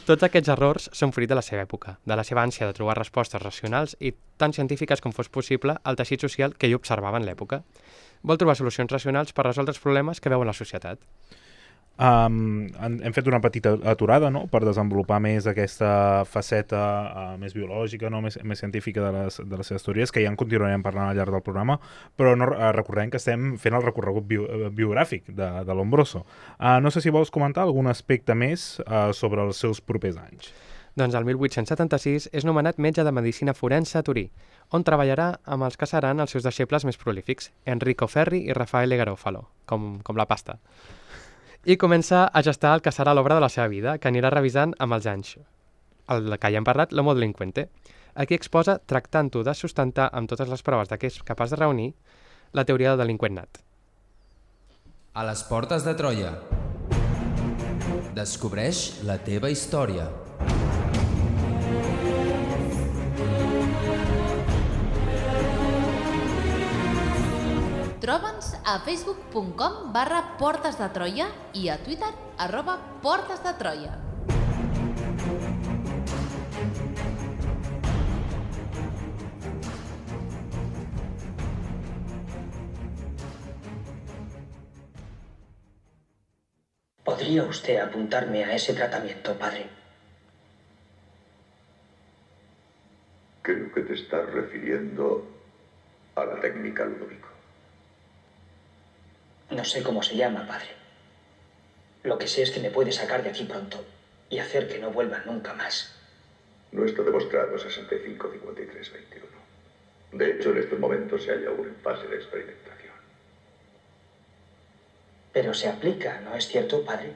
Tots aquests errors són fruit de la seva època, de la seva ànsia de trobar respostes racionals i tan científiques com fos possible al teixit social que ell observava en l'època. Vol trobar solucions racionals per resoldre els problemes que veu en la societat. Um, hem fet una petita aturada, no?, per desenvolupar més aquesta faceta uh, més biològica, no?, més, més científica de les, de les seves teories, que ja en continuarem parlant al llarg del programa, però no, uh, recordem que estem fent el recorregut bio, uh, biogràfic de, de Lombroso. Uh, no sé si vols comentar algun aspecte més uh, sobre els seus propers anys. Doncs el mil vuit-cents setanta-sis és nomenat metge de medicina forense a Turí, on treballarà amb els que seran els seus deixebles més prolífics, Enrico Ferri i Raffaele Garofalo, com, com la pasta. I comença a gestar el que serà l'obra de la seva vida, que anirà revisant amb els anys. El que ja hem parlat, l'homo delinqüente. Aquí exposa, tractant-ho de sustentar amb totes les proves de què és capaç de reunir, la teoria del delinqüent nat. A les portes de Troia. Descobreix la teva història. Troba'ns a facebook punt com barra Portes de Troia i a Twitter arroba Portes de Troia. ¿Podría usted apuntarme a ese tratamiento, padre? Creo que te estás refiriendo a la técnica Ludovico. No sé cómo se llama, padre. Lo que sé es que me puede sacar de aquí pronto y hacer que no vuelva nunca más. No está demostrado sesenta y cinco cincuenta y tres veintiuno. De hecho, en estos momentos se halla aún en fase de experimentación. Pero se aplica, ¿no es cierto, padre?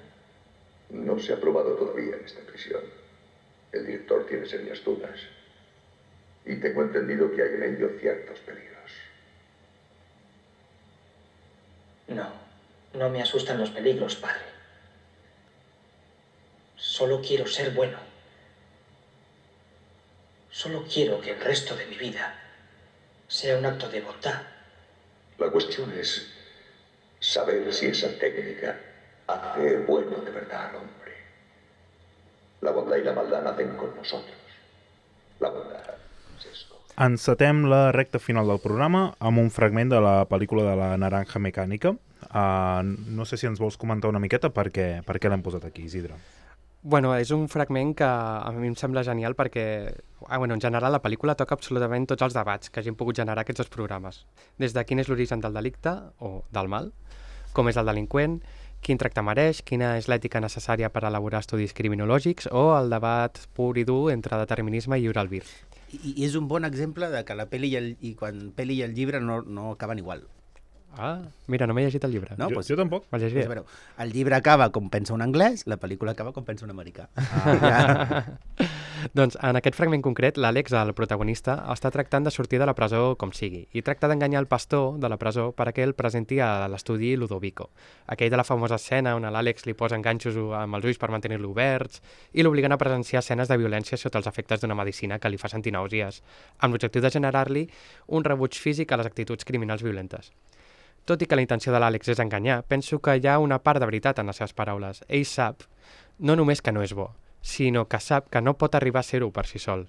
No se ha probado todavía en esta prisión. El director tiene serias dudas. Y tengo entendido que hay en ello ciertos peligros. No, no me asustan los peligros, padre. Solo quiero ser bueno. Solo quiero que el resto de mi vida sea un acto de bondad. La cuestión es saber si esa técnica hace bueno de verdad al hombre. La bondad y la maldad nacen con nosotros. La bondad es esto. Encetem la recta final del programa amb un fragment de la pel·lícula de la Naranja Mecànica. Uh, no sé si ens vols comentar una miqueta per què, per què l'hem posat aquí, Isidre. Bueno, és un fragment que a mi em sembla genial perquè, ah, bueno, en general, la pel·lícula toca absolutament tots els debats que hagin pogut generar aquests dos programes. Des de quin és l'origen del delicte, o del mal, com és el delinqüent, quin tracte mereix, quina és l'ètica necessària per elaborar estudis criminològics, o el debat pur i dur entre determinisme i lliure albir. I, I és un bon exemple de que la pel·li i, el, i quan pel·li i el llibre no, no acaben igual. Ah, mira, no m'he llegit el llibre. No, jo, pues, jo tampoc. Me'l llegiré. Pues, bueno, el llibre acaba com pensa un anglès, la pel·lícula acaba com pensa un americà. Ah, ja. Doncs en aquest fragment concret, l'Àlex, el protagonista, està tractant de sortir de la presó com sigui i tracta d'enganyar el pastor de la presó perquè el presenti a l'estudi Ludovico, aquell de la famosa escena on l'Àlex li posa enganxos amb els ulls per mantenir-lo oberts i l'obliguen a presenciar escenes de violència sota els efectes d'una medicina que li fa sentir nàusees, amb l'objectiu de generar-li un rebuig físic a les actituds criminals violentes. Tot i que la intenció de l'Àlex és enganyar, penso que hi ha una part de veritat en les seves paraules. Ell sap no només que no és bo, sinó que sap que no pot arribar a ser-ho per si sol.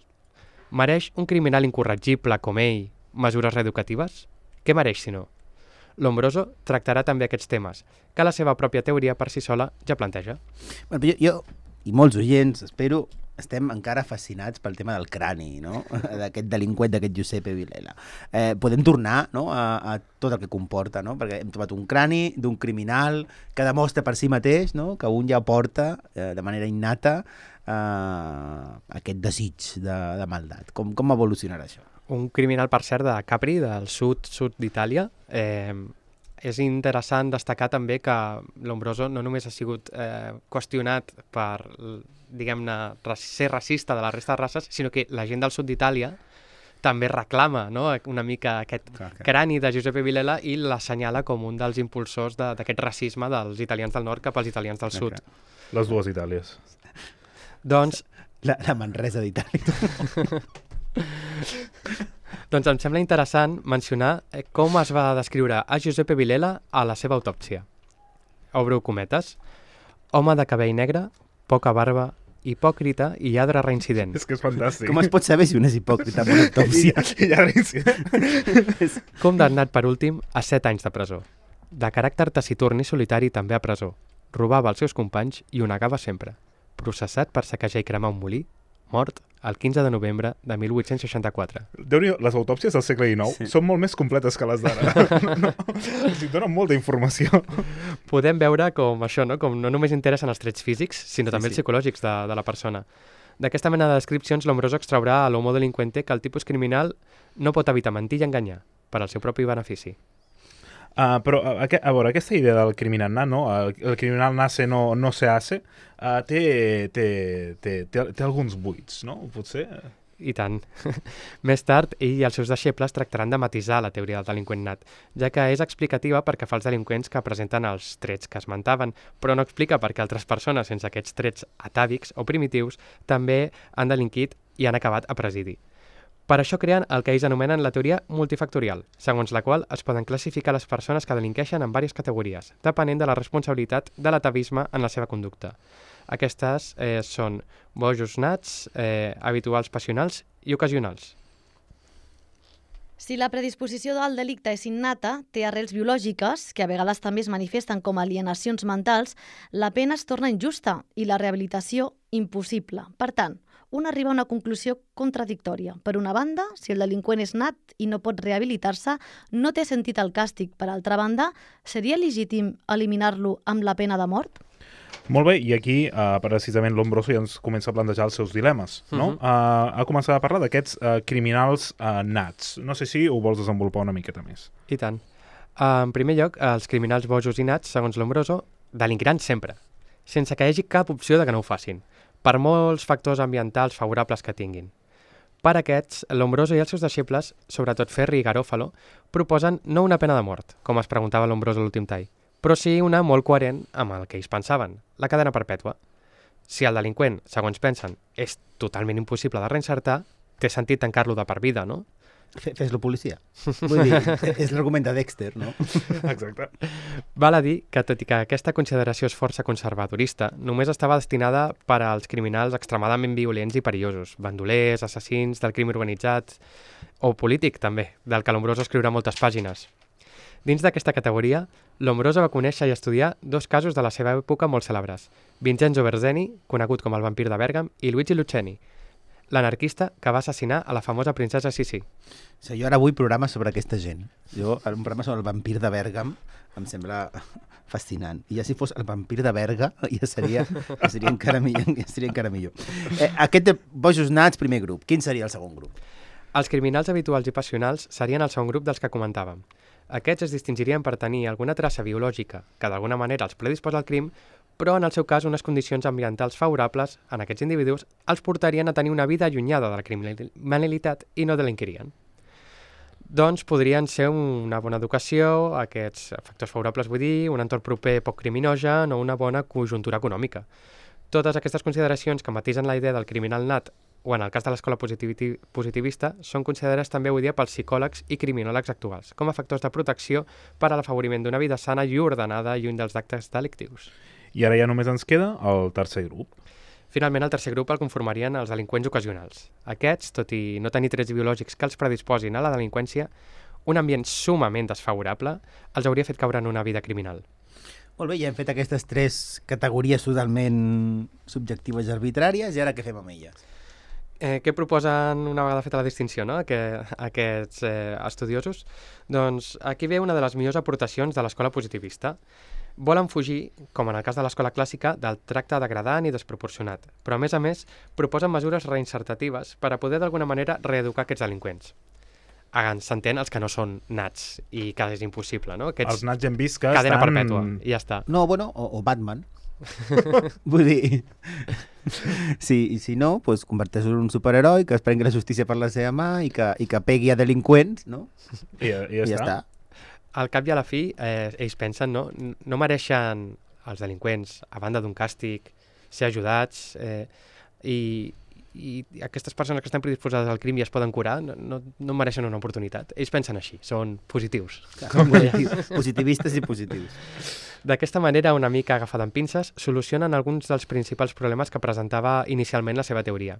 Mereix un criminal incorregible com ell mesures reeducatives? Què mereix, si no? Lombroso tractarà també aquests temes, que la seva pròpia teoria per si sola ja planteja. Bueno, jo, jo i molts oients, espero, estem encara fascinats pel tema del crani, no? D'aquest delinqüent, d'aquest Giuseppe Villela. Eh, podem tornar, no? a, a tot el que comporta, no? Perquè hem trobat un crani d'un criminal que demostra per si mateix, no? Que un ja porta eh, de manera innata eh, aquest desig de, de maldat. Com, com evolucionarà això? Un criminal, per cert, de Capri, del sud, sud d'Itàlia. Eh, és interessant destacar també que Lombroso no només ha sigut eh, qüestionat per, diguem-ne, ser racista de la resta de races, sinó que la gent del sud d'Itàlia també reclama, no?, una mica aquest clar, clar. crani de Giuseppe Villela i l'assenyala com un dels impulsors d'aquest de, racisme dels italians del nord cap als italians del sud. Clar. Les dues Itàlies. Doncs... La, la Manresa d'Itàlia. Doncs em sembla interessant mencionar com es va descriure a Giuseppe Villela a la seva autòpsia. Obro cometes. Home de cabell negre, poca barba, hipòcrita i lladre reincident. És que és fantàstic. Com es pot saber si un és hipòcrita amb una autòpsia? I, i lladre reincident. Condemnat per últim a set anys de presó. De caràcter taciturn i solitari també a presó. Robava els seus companys i ho negava sempre. Processat per saquejar i cremar un molí, mort el quinze de novembre de mil vuit-cents seixanta-quatre. Déu-n'hi-do, les autòpsies del segle dinou sí. són molt més completes que les d'ara. No, no, o sigui, donen molta informació. Podem veure com això, no? Com no només interessen els trets físics, sinó sí, també sí. els psicològics de, de la persona. D'aquesta mena de descripcions, Lombroso extraurà a l'homo delinqüente que el tipus criminal no pot evitar mentir i enganyar per al seu propi benefici. Uh, però, a, a veure, aquesta idea del criminal nat, no? El, el criminal nace, no, no se hace, uh, té, té, té, té, té alguns buits, no? Potser... I tant. Més tard, ell i els seus deixebles tractaran de matisar la teoria del delinqüent nat, ja que és explicativa perquè fa els delinqüents que presenten els trets que esmentaven, però no explica perquè altres persones sense aquests trets atàvics o primitius també han delinquit i han acabat a presidi. Per això creen el que ells anomenen la teoria multifactorial, segons la qual es poden classificar les persones que delinqueixen en diverses categories, depenent de la responsabilitat de l'atavisme en la seva conducta. Aquestes eh, són bojos nats, eh, habituals passionals i ocasionals. Si la predisposició al delicte és innata, té arrels biològiques, que a vegades també es manifesten com alienacions mentals, la pena es torna injusta i la rehabilitació impossible. Per tant, un arriba a una conclusió contradictòria. Per una banda, si el delinqüent és nat i no pot rehabilitar-se, no té sentit el càstig. Per altra banda, seria legítim eliminar-lo amb la pena de mort? Molt bé, i aquí uh, precisament l'Ombroso ja ens comença a plantejar els seus dilemes, no? Uh -huh. uh, ha començat a parlar d'aquests uh, criminals uh, nats. No sé si ho vols desenvolupar una miqueta més. I tant. Uh, en primer lloc, els criminals bojos i nats, segons l'Ombroso, delinquiran sempre, sense que hi hagi cap opció de que no ho facin, per molts factors ambientals favorables que tinguin. Per aquests, l'Ombroso i els seus deixebles, sobretot Ferri i Garofalo, proposen no una pena de mort, com es preguntava l'Ombroso a l'últim tall, però sí una molt coherent amb el que ells pensaven, la cadena perpètua. Si el delinqüent, segons pensen, és totalment impossible de reinsertar, té sentit tancar-lo de per vida, no? Fes-lo policia. Vull dir, és l'argument de Dexter, no? Exacte. Val a dir que, tot i que aquesta consideració és força conservadorista, només estava destinada per als criminals extremadament violents i perillosos, bandolers, assassins, del crim organitzat o polític, també, del que l'Ombroso escriurà moltes pàgines. Dins d'aquesta categoria, l'Ombroso va conèixer i estudiar dos casos de la seva època molt cèlebres, Vincenzo Berzeni, conegut com el vampir de Bèrgam, i Luigi Lucchesi, l'anarquista que va assassinar a la famosa princesa Sissi. O sigui, jo ara vull programes sobre aquesta gent. Jo, un programa sobre el vampir de Bèrgam em sembla fascinant. I ja si fos el vampir de Berga, ja seria, ja seria, encara, millor, ja seria encara millor. Eh, aquest de bojos nats, primer grup. Quin seria el segon grup? Els criminals habituals i passionals serien el segon grup dels que comentàvem. Aquests es distingirien per tenir alguna traça biològica que d'alguna manera els predisposa al crim, però en el seu cas unes condicions ambientals favorables en aquests individus els portarien a tenir una vida allunyada de la criminalitat i no delinquirien. Doncs podrien ser una bona educació, aquests factors favorables vull dir, un entorn proper poc criminogen o una bona conjuntura econòmica. Totes aquestes consideracions que matisen la idea del criminal nat o en el cas de l'escola positivista, són considerades també avui dia pels psicòlegs i criminòlegs actuals, com a factors de protecció per a l'afavoriment d'una vida sana i ordenada lluny dels actes delictius. I ara ja només ens queda el tercer grup. Finalment, el tercer grup el conformarien els delinqüents ocasionals. Aquests, tot i no tenir trets biològics que els predisposin a la delinqüència, un ambient sumament desfavorable els hauria fet caure en una vida criminal. Molt bé, ja hem fet aquestes tres categories totalment subjectives i arbitràries, i ara què fem amb elles? Eh, què proposen una vegada feta la distinció, no? que, aquests eh, estudiosos? Doncs aquí ve una de les millors aportacions de l'escola positivista. Volen fugir, com en el cas de l'escola clàssica, del tracte degradant i desproporcionat, però a més a més proposen mesures reinsertatives per a poder d'alguna manera reeducar aquests delinqüents. S'entén els que no són nats i que és impossible, no? Aquests els nats hem vist que cadena estan... perpètua, i ja està. No, bueno, o, o Batman. Vull dir, si, si no, pues, converteix en un superheroi que es prengui la justícia per la seva mà i que, i que pegui a delinqüents, no? I, i ja, I ja està. està. Al cap i a la fi, eh, ells pensen, no? No mereixen els delinqüents, a banda d'un càstig, ser ajudats, eh, i, i aquestes persones que estan predisposades al crim i es poden curar, no, no, no mereixen una oportunitat. Ells pensen així, són positius. Són positius, positivistes i positius. D'aquesta manera, una mica agafada amb pinces, solucionen alguns dels principals problemes que presentava inicialment la seva teoria.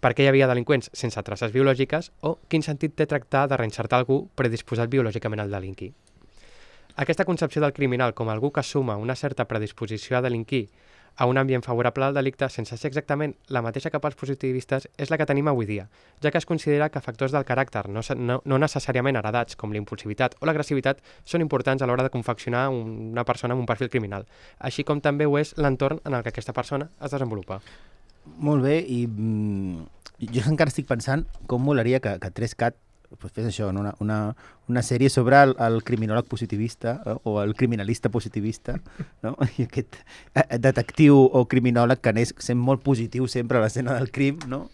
Per què hi havia delinqüents sense traces biològiques o quin sentit té tractar de reinsertar algú predisposat biològicament al delinquir. Aquesta concepció del criminal com algú que suma una certa predisposició a delinquir a un ambient favorable al delicte sense ser exactament la mateixa que pels positivistes és la que tenim avui dia, ja que es considera que factors del caràcter no, no, no necessàriament heredats com l'impulsivitat o l'agressivitat són importants a l'hora de confeccionar una persona amb un perfil criminal, així com també ho és l'entorn en el que aquesta persona es desenvolupa. Molt bé, i mm, jo encara estic pensant com molaria que, que tres cat pues fes això, no? una, una, una sèrie sobre el, el criminòleg positivista eh? o el criminalista positivista, no? I aquest eh, detectiu o criminòleg que anés sent molt positiu sempre a l'escena del crim, no?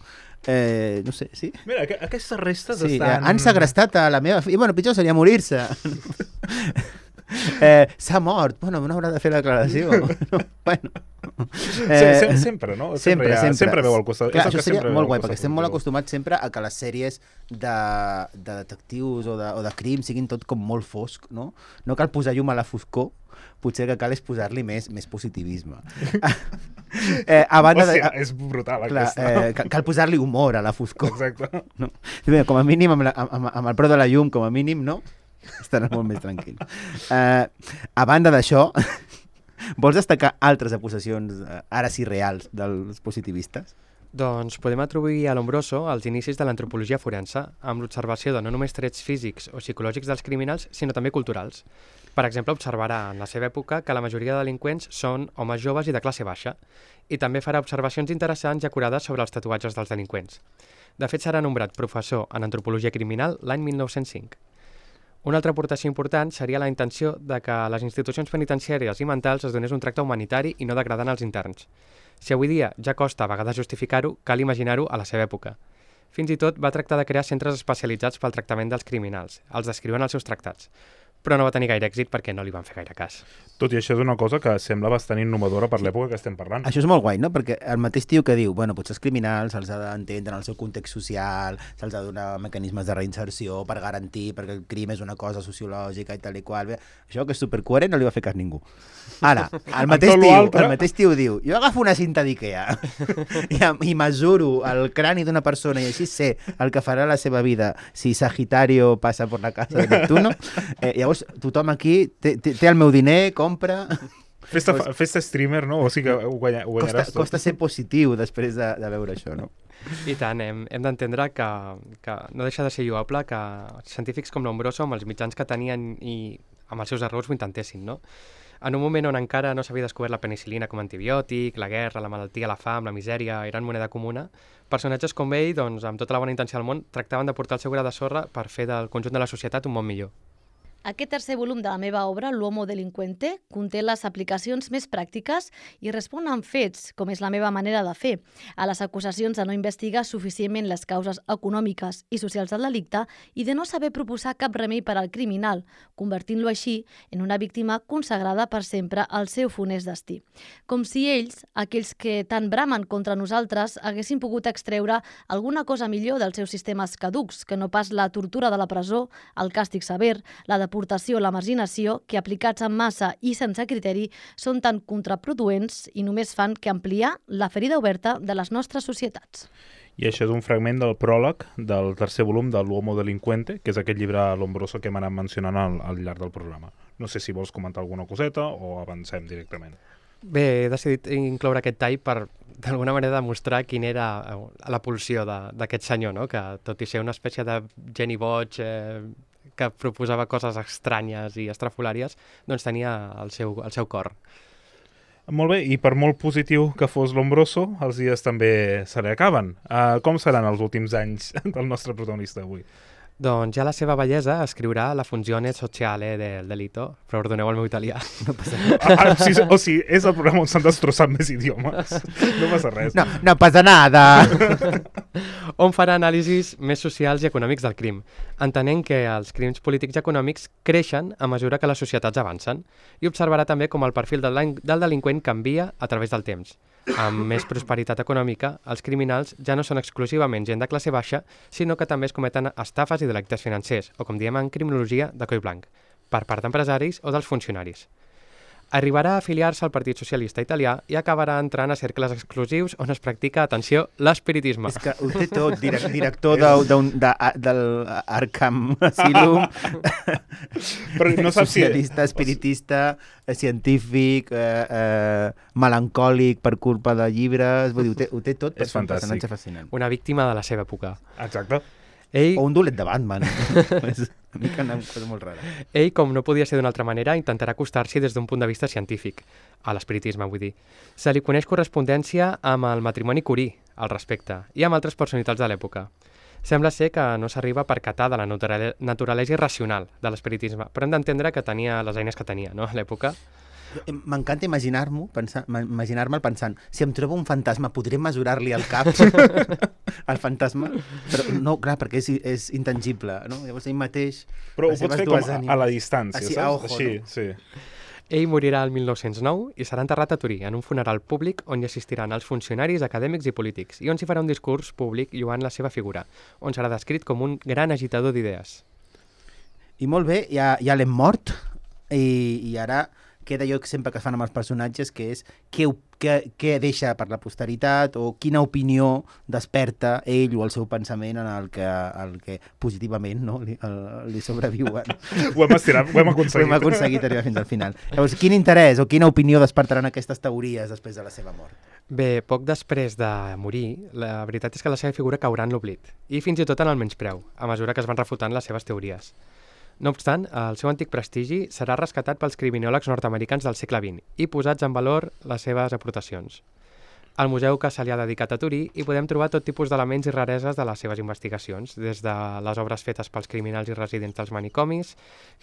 Eh, no sé, sí? Mira, aqu aquestes restes sí, estan... Han segrestat a la meva filla. Bueno, pitjor seria morir-se. Eh, s'ha mort, bueno, no haurà de fer la declaració. No? Bueno. Eh, sempre, sempre, no? Sempre, sempre, ha, sempre. sempre veu al costat. Clar, això seria molt guai, perquè estem molt acostumats sempre a que les sèries de, de detectius o de, o de crim siguin tot com molt fosc, no? No cal posar llum a la foscor, potser que cal és posar-li més, més positivisme. eh, a banda Hòstia, de, és brutal, clar, aquesta. Eh, cal cal posar-li humor a la foscor. Exacte. No? Com a mínim, amb, la, amb, amb el preu de la llum, com a mínim, no? Estaràs molt més tranquil. Uh, a banda d'això, vols destacar altres acusacions, uh, ara sí reals, dels positivistes? Doncs podem atribuir a Lombroso els inicis de l'antropologia forense, amb l'observació de no només trets físics o psicològics dels criminals, sinó també culturals. Per exemple, observarà en la seva època que la majoria de delinqüents són homes joves i de classe baixa, i també farà observacions interessants i acurades sobre els tatuatges dels delinqüents. De fet, serà nombrat professor en antropologia criminal l'any mil nou-cents cinc. Una altra aportació important seria la intenció de que a les institucions penitenciàries i mentals es donés un tracte humanitari i no degradant als interns. Si avui dia ja costa a vegades justificar-ho, cal imaginar-ho a la seva època. Fins i tot va tractar de crear centres especialitzats pel tractament dels criminals. Els descriuen als seus tractats. Però no va tenir gaire èxit perquè no li van fer gaire cas. Tot i això és una cosa que sembla bastant innovadora per l'època que estem parlant. Això és molt guai, no? Perquè el mateix tio que diu, bueno, potser els criminals se'ls ha d'entendre en el seu context social, se'ls ha de donar mecanismes de reinserció per garantir, perquè el crim és una cosa sociològica i tal i qual. Bé, això que és supercoherent no li va fer cas ningú. Ara, el mateix tio, el mateix tio diu, jo agafo una cinta d'Ikea i, i mesuro el crani d'una persona i així sé el que farà la seva vida si Sagitario passa per la casa de Neptuno. Eh, llavors, tothom aquí té, té, té el meu diner, compra... Festa, festa streamer, no? O sigui que ho, guanya, ho guanyaràs costa, tot. Costa ser positiu després de, de veure això, no? I tant, hem, hem d'entendre que, que no deixa de ser lloable que científics com Lombroso, amb els mitjans que tenien i amb els seus errors, ho intentessin, no? En un moment on encara no s'havia descobert la penicil·lina com a antibiòtic, la guerra, la malaltia, la fam, la misèria, eren moneda comuna, personatges com ell, doncs, amb tota la bona intenció del món, tractaven de portar el seu gra de sorra per fer del conjunt de la societat un món millor. Aquest tercer volum de la meva obra, L'Homo Delinquente, conté les aplicacions més pràctiques i respon amb fets, com és la meva manera de fer, a les acusacions de no investigar suficientment les causes econòmiques i socials del delicte i de no saber proposar cap remei per al criminal, convertint-lo així en una víctima consagrada per sempre al seu funest destí. Com si ells, aquells que tant bramen contra nosaltres, haguessin pogut extreure alguna cosa millor dels seus sistemes caducs, que no pas la tortura de la presó, el càstig sever, la deportació o la marginació, que aplicats en massa i sense criteri són tan contraproduents i només fan que ampliar la ferida oberta de les nostres societats. I això és un fragment del pròleg del tercer volum de L'Homo Delinquente, que és aquest llibre Lombroso que hem anat mencionant al, al llarg del programa. No sé si vols comentar alguna coseta o avancem directament. Bé, he decidit incloure aquest tall per, d'alguna manera, demostrar quina era la pulsió d'aquest senyor, no? Que tot i ser una espècie de geni boig, eh, que proposava coses estranyes i estrafolàries, doncs tenia el seu, el seu cor. Molt bé, i per molt positiu que fos Lombroso, els dies també se li acaben. Uh, com seran els últims anys del nostre protagonista avui? Doncs ja la seva bellesa escriurà la funzione sociale del delito. Perdoneu el meu italià. No passa res. Ah, o, sigui, o sigui, és el programa on s'han destrossat més idiomes. No passa res. No, no passa nada. On farà anàlisis més socials i econòmics del crim, entenent que els crims polítics i econòmics creixen a mesura que les societats avancen, i observarà també com el perfil del, del delinqüent canvia a través del temps. Amb més prosperitat econòmica, els criminals ja no són exclusivament gent de classe baixa, sinó que també es cometen estafes i delictes financers, o com diem en criminologia, de coll blanc, per part d'empresaris o dels funcionaris. Arribarà a afiliar-se al Partit Socialista Italià i acabarà entrant a cercles exclusius on es practica, atenció, l'espiritisme. És que ho té tot, direc director de, de, de, de l'Arkham Asylum, però no saps socialista, espiritista, científic, eh, eh, melancòlic per culpa de llibres, vull dir, ho té, ho té tot per ser un personatge fascinant. Una víctima de la seva època. Exacte. Ell... O un dolet de Batman. És una mica una cosa molt rara. Ell, com no podia ser d'una altra manera, intentarà acostar-s'hi des d'un punt de vista científic, a l'espiritisme, vull dir. Se li coneix correspondència amb el matrimoni Curie, al respecte, i amb altres personalitats de l'època. Sembla ser que no s'arriba a percatar de la naturalesa irracional de l'espiritisme, però hem d'entendre que tenia les eines que tenia, no?, a l'època. M'encanta imaginar-m'ho, imaginar-me'l pensant, si em trobo un fantasma, podré mesurar-li el cap al fantasma? Però no, clar, perquè és, és intangible, no? Llavors ell mateix... Però ho pots fer com ànimes, a la distància, així, saps? A ojo, així, no? sí. Ell morirà el mil nou-cents nou i serà enterrat a Turí, en un funeral públic on hi assistiran els funcionaris, acadèmics i polítics, i on s'hi farà un discurs públic lloant la seva figura, on serà descrit com un gran agitador d'idees. I molt bé, ja, ja l'hem mort, i, i ara... queda allò sempre que es fan amb els personatges, que és què, què, què deixa per la posteritat o quina opinió desperta ell o el seu pensament en el que, el que positivament, no, li, el, li sobreviuen. Ho hem estirat, ho hem aconseguit. Ho hem aconseguit arribar fins al final. Llavors, quin interès o quina opinió despertaran aquestes teories després de la seva mort? Bé, poc després de morir, la veritat és que la seva figura caurà en l'oblit, i fins i tot en el menyspreu, a mesura que es van refutant les seves teories. No obstant, el seu antic prestigi serà rescatat pels criminòlegs nord-americans del segle vint i posats en valor les seves aportacions. Al museu que se li ha dedicat a Torí hi podem trobar tot tipus d'elements i rareses de les seves investigacions, des de les obres fetes pels criminals i residents dels manicomis,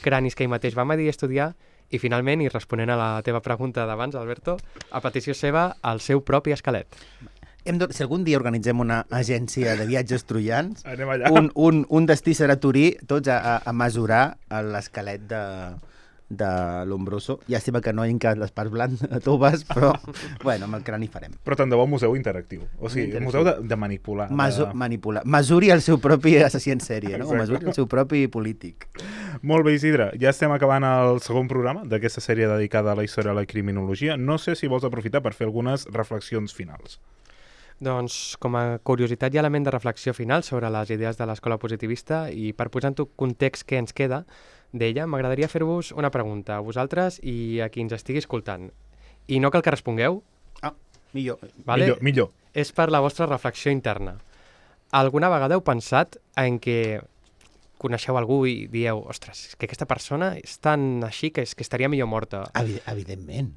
cranis que ell mateix va medir i estudiar, i finalment, i responent a la teva pregunta d'abans, Alberto, a petició seva, el seu propi esquelet. Hem de, si algun dia organitzem una agència de viatges troians, Anem allà. un, un, un destí serà Torí, tots a, a, a mesurar l'esquelet de, de l'Ombroso. Llàstima que no hi quedat les parts blandes toves, però bueno, amb el crani farem. Però tant de bo museu interactiu. O sigui, interactiu. Museu de, de manipular. Maso, de... manipular. Mesuri el seu propi assassí en sèrie, no? O mesuri el seu propi polític. Molt bé, Isidre. Ja estem acabant el segon programa d'aquesta sèrie dedicada a la història de la criminologia. No sé si vols aprofitar per fer algunes reflexions finals. Doncs, com a curiositat i element de reflexió final sobre les idees de l'escola positivista i per posar en tot context què ens queda d'ella, m'agradaria fer-vos una pregunta a vosaltres i a qui ens estigui escoltant. I no cal que respongueu. Ah, millor. Vale? Millor, millor. És per la vostra reflexió interna. Alguna vegada heu pensat en què coneixeu algú i dieu, ostres, és que aquesta persona és tan així que, és que estaria millor morta? Evi evidentment.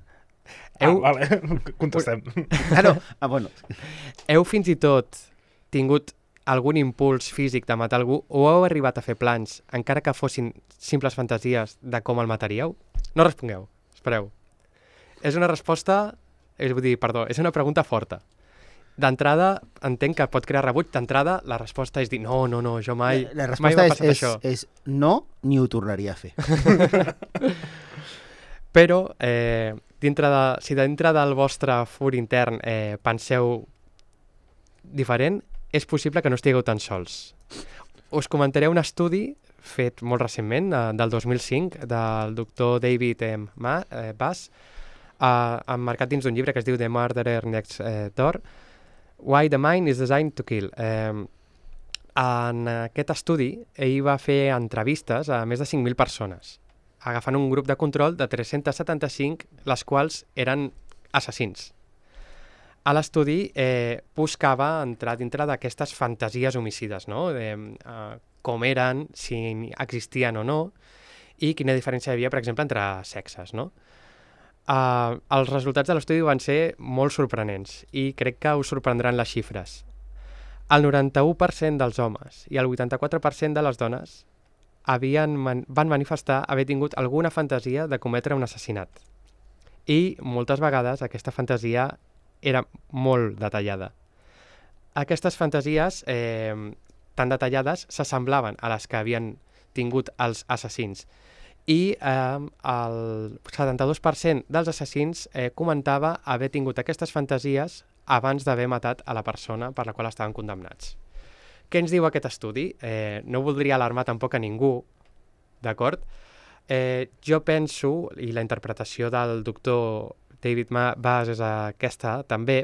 Heu... Ah, vale, contestem. Ah, no. Ah, bueno. Heu fins i tot tingut algun impuls físic de matar algú o heu arribat a fer plans, encara que fossin simples fantasies, de com el mataríeu? No respongueu, espereu. És una resposta, és dir, perdó, és una pregunta forta. D'entrada, entenc que pot crear rebuig. D'entrada, la resposta és dir, no, no, no, jo mai, la, la mai m'ha passat passat és, això. És no, ni ho tornaria a fer. Però, eh, dintre de, si dintre del vostre fur intern eh, penseu diferent, és possible que no estigueu tan sols. Us comentaré un estudi fet molt recentment, eh, del dos mil cinc, del doctor David eh, Ma, eh, Bass, eh, emmarcat dins d'un llibre que es diu The Murderer Next eh, Door, Why the Mind is Designed to Kill. Eh, en aquest estudi, ell va fer entrevistes a més de cinc mil persones, agafant un grup de control de tres-cents setanta-cinc, les quals eren assassins. A l'estudi eh, buscava entrar dintre d'aquestes fantasies homicides, no? De, eh, com eren, si existien o no, i quina diferència hi havia, per exemple, entre sexes, no? Uh, els resultats de l'estudi van ser molt sorprenents i crec que us sorprendran les xifres. El noranta-u per cent dels homes i el vuitanta-quatre per cent de les dones havien man van manifestar haver tingut alguna fantasia de cometre un assassinat. I moltes vegades aquesta fantasia era molt detallada. Aquestes fantasies eh, tan detallades s'assemblaven a les que havien tingut els assassins. I eh, el setanta-dos per cent dels assassins eh, comentava haver tingut aquestes fantasies abans d'haver matat a la persona per la qual estaven condemnats. Què ens diu aquest estudi? Eh, no voldria alarmar tampoc a ningú, d'acord? Eh, jo penso, i la interpretació del doctor David Bass és aquesta també,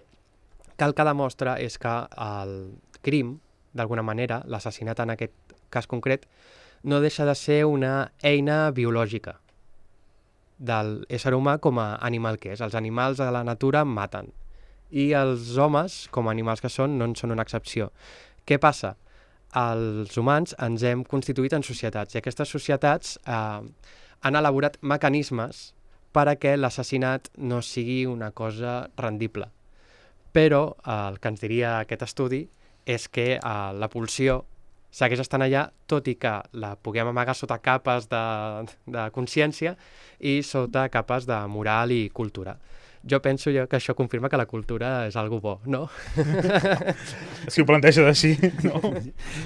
que el que demostra és que el crim, d'alguna manera, l'assassinat en aquest cas concret, no deixa de ser una eina biològica de l'ésser humà com a animal que és. Els animals de la natura maten i els homes, com a animals que són, no en són una excepció. Què passa? Els humans ens hem constituït en societats i aquestes societats eh, han elaborat mecanismes perquè l'assassinat no sigui una cosa rendible. Però eh, el que ens diria aquest estudi és que eh, la pulsió segueix estant allà, tot i que la puguem amagar sota capes de, de consciència i sota capes de moral i cultura. Jo penso jo que això confirma que la cultura és algo bo, no? Si ho planteges així, no?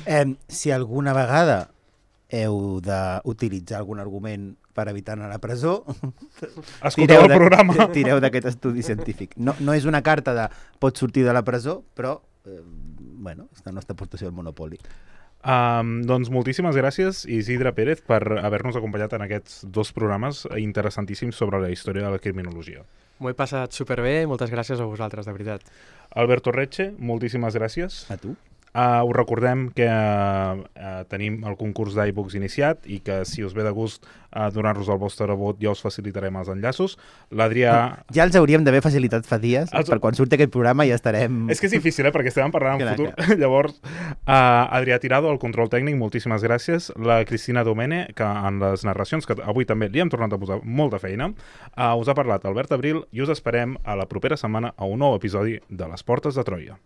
Eh, si alguna vegada heu d'utilitzar algun argument per evitar anar a la presó, escolteu el programa. Tireu d'aquest estudi científic. No, no és una carta de pots sortir de la presó, però eh, bueno, és la nostra aportació al Monopoli. Um, doncs moltíssimes gràcies, Isidre Pérez, per haver-nos acompanyat en aquests dos programes interessantíssims sobre la història de la criminologia. M'ho he passat superbé, moltes gràcies a vosaltres, de veritat. Alberto Recce, moltíssimes gràcies. A tu. Uh, us recordem que uh, uh, tenim el concurs d'iBooks iniciat i que si us ve de gust uh, donar-nos el vostre vot ja us facilitarem els enllaços. L'Adrià... Ja els hauríem d'haver facilitat fa dies, els... per quan surti aquest programa ja estarem... És que és difícil, eh? Perquè estem parlant en clar, futur. clar. Llavors, uh, Adrià Tirado, el control tècnic, moltíssimes gràcies. La Cristina Domene, que en les narracions, que avui també li hem tornat a posar molta feina, uh, us ha parlat Albert Abril i us esperem a la propera setmana a un nou episodi de Les Portes de Troia.